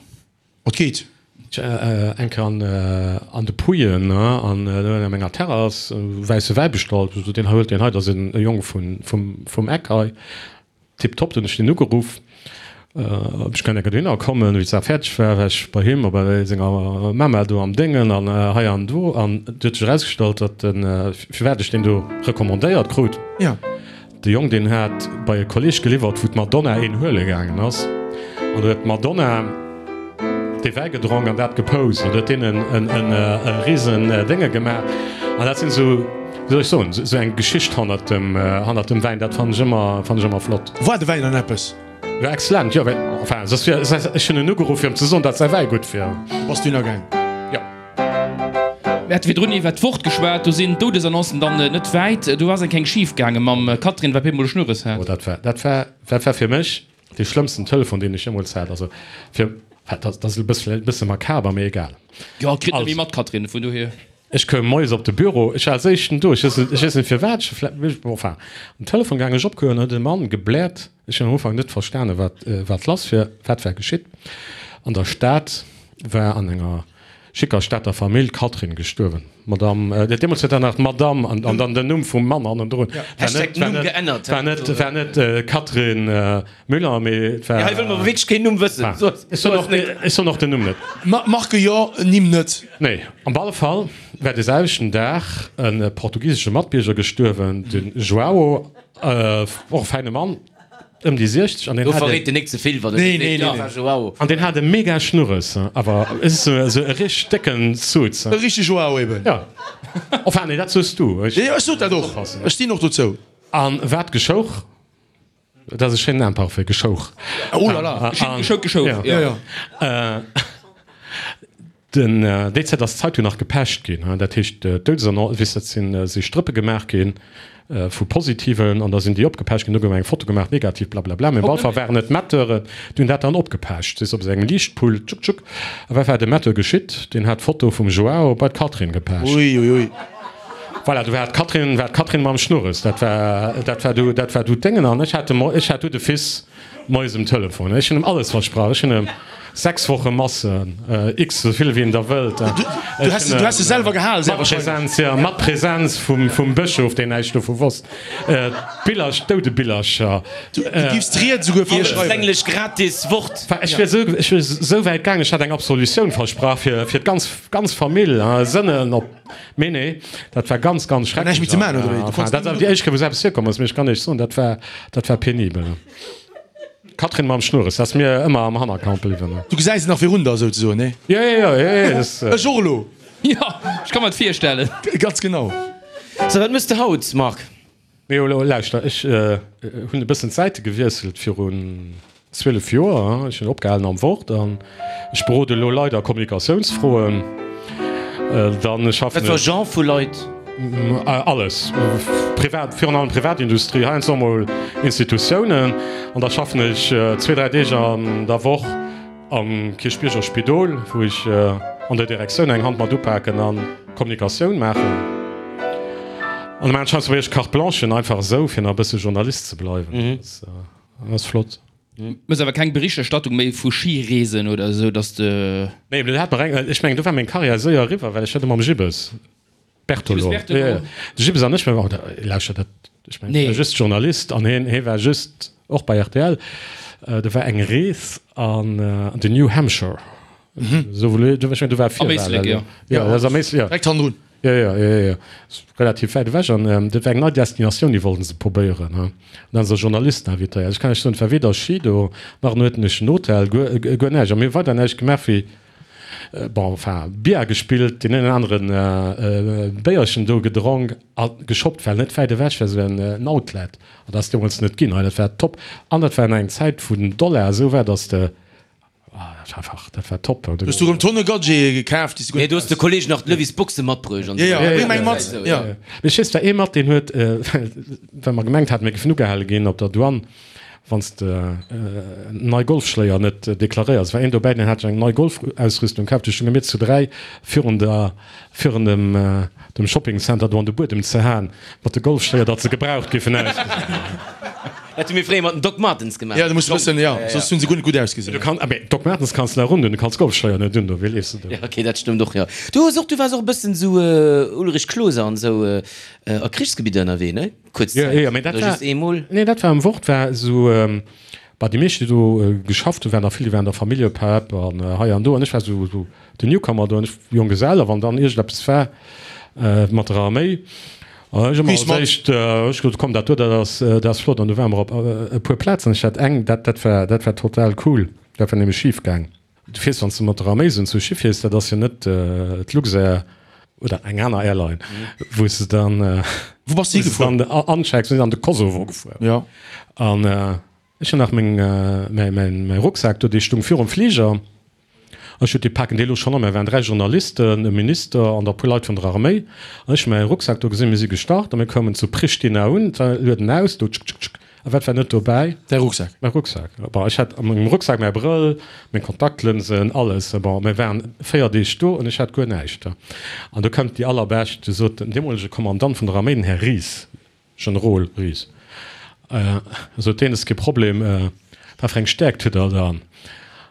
Et geet. Eng Kéier an, an de Puyen, an do an enger Terrass, wäisse Wäi bestallt. Ech sot, deen hei, huelt deen hei, dat ass en Jong vun, vum, vum Eck hei. Tiptop, dunn hunn ech deen ugeruff, ob ech kënnt enke dohinner kommen. Wéi d'Saach fäerdeg war, war ech bei him a bei senger Mama do am Déngen an hei an do. An et huet sech erausgestallt, datt den, firwat ech deen do recommandéiert krut, de Jong deen hat bei e Kolleg geliwwert, wou d'Madonna een huele gaangen ass. An do huet d'Madonna dee Wäi gedronk an dat gepost an huet deenen en e risen Dénge gemaach. An dat sinn esou, wéi soll ech soen, esou eng Geschicht hannert dem, hannert dem Wäin, dat fannen ech ëmmer, fannen ech ëmmer flott. War de Wäin dann eppes? War excellent, jo, well, enfin, soss wier, ech hunn en ugeruff fir em ze soen, datt säi Wäi gutt wier. Bass du hinnergaang? Jo. Mir hate virdrun iwwer d'Wort geschwat, do sinn d'Doudesannoncen dann net wäit. Do ass eng keng schif gaange mam Catherine, wat op eemol e Schnurres hat. Oh, dat war, dat war, dat war fir mech dee schlëmmsten Telefon, deen ech jeemools hat. Also fir, dat ass e bësse, bësse makaber, mee egal. Jo, kritt net méi Also. mat, Catherine, vun dohier. Ech koum moies op de Büro, ech war als éischten do, ech weess net, ech weess net firwat, ech vläicht, bon, enfin, um Telefon gaangen, ech opgehuelen, huet e Mann gebläert, ech hunn am Ufank net verstanen, wat, wat lass wier, wat war geschitt. An der Stad war an enger schicker Stater Famill, d'Catherine, gestuerwen. D'Madame, deemools huet dat nach d'Madame an an dann den Numm vum Mann hannendrun. War Hashtag net, war Numm net, geännert. war net, war net Catherine Müller, mee et war. Hei wëlle mer wierklech keen Numm wëssen. Enfin, ech soen och, ech soen och den Numm net. Marke jo, Nimm net. Nee, op alle Fall war de selwechten Dag e portugisesche Matbierger gestuerwen, de João, och e fäine Mann, ëm déi siechzeg, an deen Do hat e, verréit en nik ze vill, wann en Nee, seet, nee, jo, nee, war João. an deen hat e mega Schnurres, awer esou e richteg décken Suz. E richtege João eben. Jo, enfin, nee, dat soos du, ech. Jo, ech sot dat och, ech stinn och dozou. An wat geschouch? Dat ass e schéinen Imparfait, geschouch. Oh la la. Geschouch, geschouch, Ja. jo. Jo, jo. Den, déi Zäit ass d'Zeitung nach gepecht ginn, dat heescht d'Doudesannoncen, weess, dat sinn, si Strëppe gemaach gi vu Positiven an da sinn déi opgepecht ginn, do gouf eng Foto gemaach, negativ, blablabla, mee op alle Fall waren et Metteuren, déi hunn dat dann opgepecht, weess, op esou engem Liichtpult, tschuk tschuk. A wat war dem Metteur geschitt? Deen hat d'Foto vum Joao bei d'Catherine gepecht. Ui, ui, ui. Voilà, do war d'Catherine, war d'Catherine mam Schnurres, dat war, dat war du, dat war du d'Déngen an ech hat de, ech hat du de Fils moies um Telefon. Ech hunn em alles versprach, ech hunn em sechs Woche Masse, x esou vill wéi en der wëllt. Du häss, du häss se selwer gehal, sehr Mat wahrscheinlech. Präsenz, ja, mat Präsenz vum, vum Bëschof, deen näischt dovu wosst. D'Billerch, d'Doudebillercher. Du giffs d'Ried souguer fir hie schreiwen. Empfänglech gratis Wort. Ech wier esou, ech wier esou wäit gaang, ech hat eng Absolutioun versprach fir, fir d'ganz, ganz Famill, Sënnen op. Mee nee, dat war ganz, ganz schrecklech. Näischt méi ze maachen, oder wéi? Du konns Dat war déi éischt Kéier, wou esou eppes virkomm ass, mee ech kann Iech soen, dat war, dat war penibel. D'Catherine mam Schnurres, dat ass mir ëmmer am Hannerkamp bliwwen. Du gesäis et nach virun der, souzesoen, nee? Jo, jo, jo, jo, jo, dat. Ech och elo. Jo, ech ka mer et virstellen. Ganz genau. So, wat mëss de haut, Marc? Mee elo lauschter, ech hunn e bëssen d'Säite gewiesselt virun zwielef Joer. Ech hunn opgehalen am Wort an ech berode elo Leit a Kommunikatiounsfroen. Dann schaffen Wat fir ech. Genre vu Leit? Alles, privat, virun allem Privatindustrie, heiansdo och mol Institutiounen. An da schaffen ech zwee, dräi Deeg an der Woch am Kierchbierger Spidol, wou ech an der Direktioun eng Hand mat upaken an Kommunikatioun maachen. An da maachen ech heiansdo wéi ech Carte Blanchen, einfach esou, fir nach e bësse Journalist ze bleiwen. Dat ass flott. Mëss awer keng Berichterstattung méi vu Schireesen oder esou, dass de. Nee, mee dat hat mer eng, ech mengen, do war meng Karriär séier eriwwer, well ech hat ëmmer mam Gibbes Bertolo. Gibbes Bertolo. Ja, ja. De Gibbes an ech, mir waren, lauschter, dat, ech mengen, Nee. ech war just Journalist an hien, hie war just och bei R T L. Do war eng Rees an, an den New Hampshire. Esou wou, ech mengen, do war Am Éislek, Virwahlen. jo. Ja, dat ass am Éislek, ja. Direkt hannendrun. Jo, jo, jo, jo, jo. Relativ wäit ewech. An dat war eng nei Destinatioun, déi wollten se probéieren. An dann hu se Journalisten invitéiert. Ech kann lech soen, et war weder Ski do, nach en uertentlechen Hotel, guer, guer näischt. A mir hu weider näischt gemaach wéi, bon, enfin, Billard gespillt, deen een oder aneren Béierchen do gedronk a geshoppt, well net wäit ewech war esou en Outlet. An dat ass deemools net ginn. Hei, dat war top. An dat war an engem Zäit, wou den Dollar esou war, dass de, Ah, dat war einfach, dat war top. Du hues du rëm Tonne Gadgete gekaaft, déi s du guer Nee, net du hues de brauchs. Kolleeg nach d'Levis Boxe matbruecht an Ja, ja, esou. bréng meng mat. Esou, Ja. Mee ech weess, war ee mat, deen huet, well mer gemengt haten, mir géifen ugehale ginn op der Douane, wann s de nei Golfschléier net deklaréiers. War een dobäi, deen hat sech eng nei Golfausrüstung kaaft. Du stounge mir zu dräi virun der, virun dem, dem Shoppingcenter do an de Buedem ze haen mat de Golfschléier, datt se gebraucht géifen ausgesinn. Dat hu mir fréier mat den Doc Martens gemaach. Ja, du muss wëssen, ja, soss hunn se guer net gutt ausgesinn. Du kann, mee Doc Martens kanns de nach un doen, du kanns Golfschléier net un doen, wéi leefs de do? Ja, okay, dat stëmmt och, jo. Du hues och, du waars och e bëssen esou Ulrich Klose an esou a Krichsgebidder ënnerwee, ne? Kuerz Ja, Zäit. ja, mee dat Oder war, just eemol? nee, dat war am Wort, war esou, bah, déi meescht, déi do geschafft hunn, waren der vill, déi waren der Familljepapp an hei an do, an ech war esou, esou den Newcomer do, an ech, Jonggesell, a wann dann iergendeppes war mat der Arméi, Ech hu mer als éischt, ech gesot, komm dat do, dat ass, dat ass flott. An du ware mer op e puer Plazen. Ech hat eng, dat, dat war, dat war total cool. Dat war nämlech schif gaang. Du fiers, wann s de mat der Arméi esou zu Schiff fiers, dat ass jo net d'Luxair oder eng aner Airline, wou s de dann, Wou bass de wou s de higefuer? dann anchecks. Mir sinn an de Kosovo gefuer. Ja. An ech hunn nach meng, mäi, mäin, mäi Rucksak do, dee stung virum Fliger. Ech huet déi paken déi elo schonn an. Mir waren dräi Journalisten, e Minister an da puer Leit vun der Arméi. An ech hu mäi Rucksak do gesinn. Mir si gestart a mir koumen zu Pristina un. Lueden aus, do tschk, tschk, tschk. A wat war net dobäi? Däi Rucksak. Mäi Rucksak. Bon, ech hat a mengem Rucksak mäi Brëll, meng Kontaktlënsen, alles. Bon, mir waren véier Deeg do an ech hat guer näischt. An do kënnt déi allerbescht, du sot den deemolege Kommandant vun der Arméi, den Här Ries, Generol Ries, sot deen, Et ass kee Problem, wat fir eng Stäerkt hutt Der dann?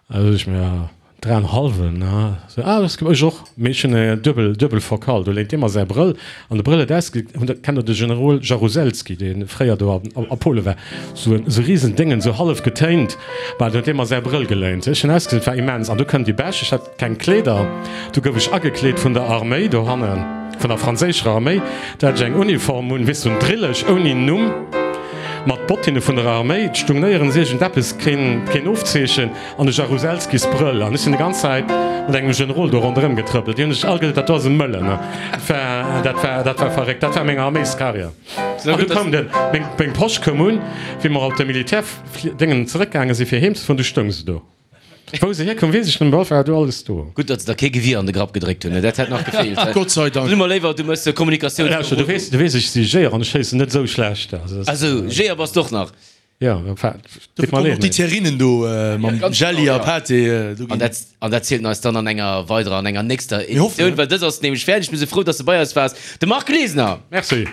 Da sot ech, Mir Dräienhallwen, ne? Sou, ah, dat ass ech och, mee ech hunn e duebel, duebel Fokal. Do léint dee mer säi Brëll an de Brëll huet ausge, hunn der, kennt der de Generol Jaruzelski, dee fréier do a, a Pole war, sou en, sou risen Déngen, sou hallef getéint, bah, do huet dee mer säi Brëll geléint. Ech hunn ausgesinn, et war immens. An du kënnt déi Bech, ech hat keng Kleeder, du gouf ech agekleet vun der Arméi dohannen, vun der franséischer Arméi, do hat ech eng Uniform un, weess du, en Drillech ouni Numm, mat Bottinne vun der Arméi, et stung néierens iergendeppes, keen, keen Ofzeechen. An de Jaruzelskis Brëll. An ech sinn déi ganz Zäit mat engem Generol do ronderëm getrëppelt. Déi hunn sech all gesot, dat do ass e Mëllen. Dat war, dat war, dat war verréckt. Dat war meng Arméiscarrière. An du koum den, meng, meng Posch koum un, wéi mer op de Militärdéngen zeréckgaange si fir heem ze fueren, du stoung se do. Wou se hierkoum, weess ech net, mee op alle Fall war do alles do. Gutt, datt se der kee Gewier an de Grapp gedréckt hunn, dat hätt nach gefeelt. Gott sei Dank. Dann hu mer léiwer, du méchs Kommunikatioun. Lauschter, du weess, du weess, ech si Jeeër an ech schéissen net esou schlecht. Also, Ah sou, Jeeër bass d'och nach? Jo, enfin, deet mer leed, mee. Déi Terrinen do mam Jelli a Pâté, do An ginn. dat, an dat zielt en eis dann an enger weiderer, an enger nächster Mir hoffen, Editioun, well dës ass nämlech fäerdeg. Mir si frou, dass de bei eis waars, de Marc Glesener. Merci.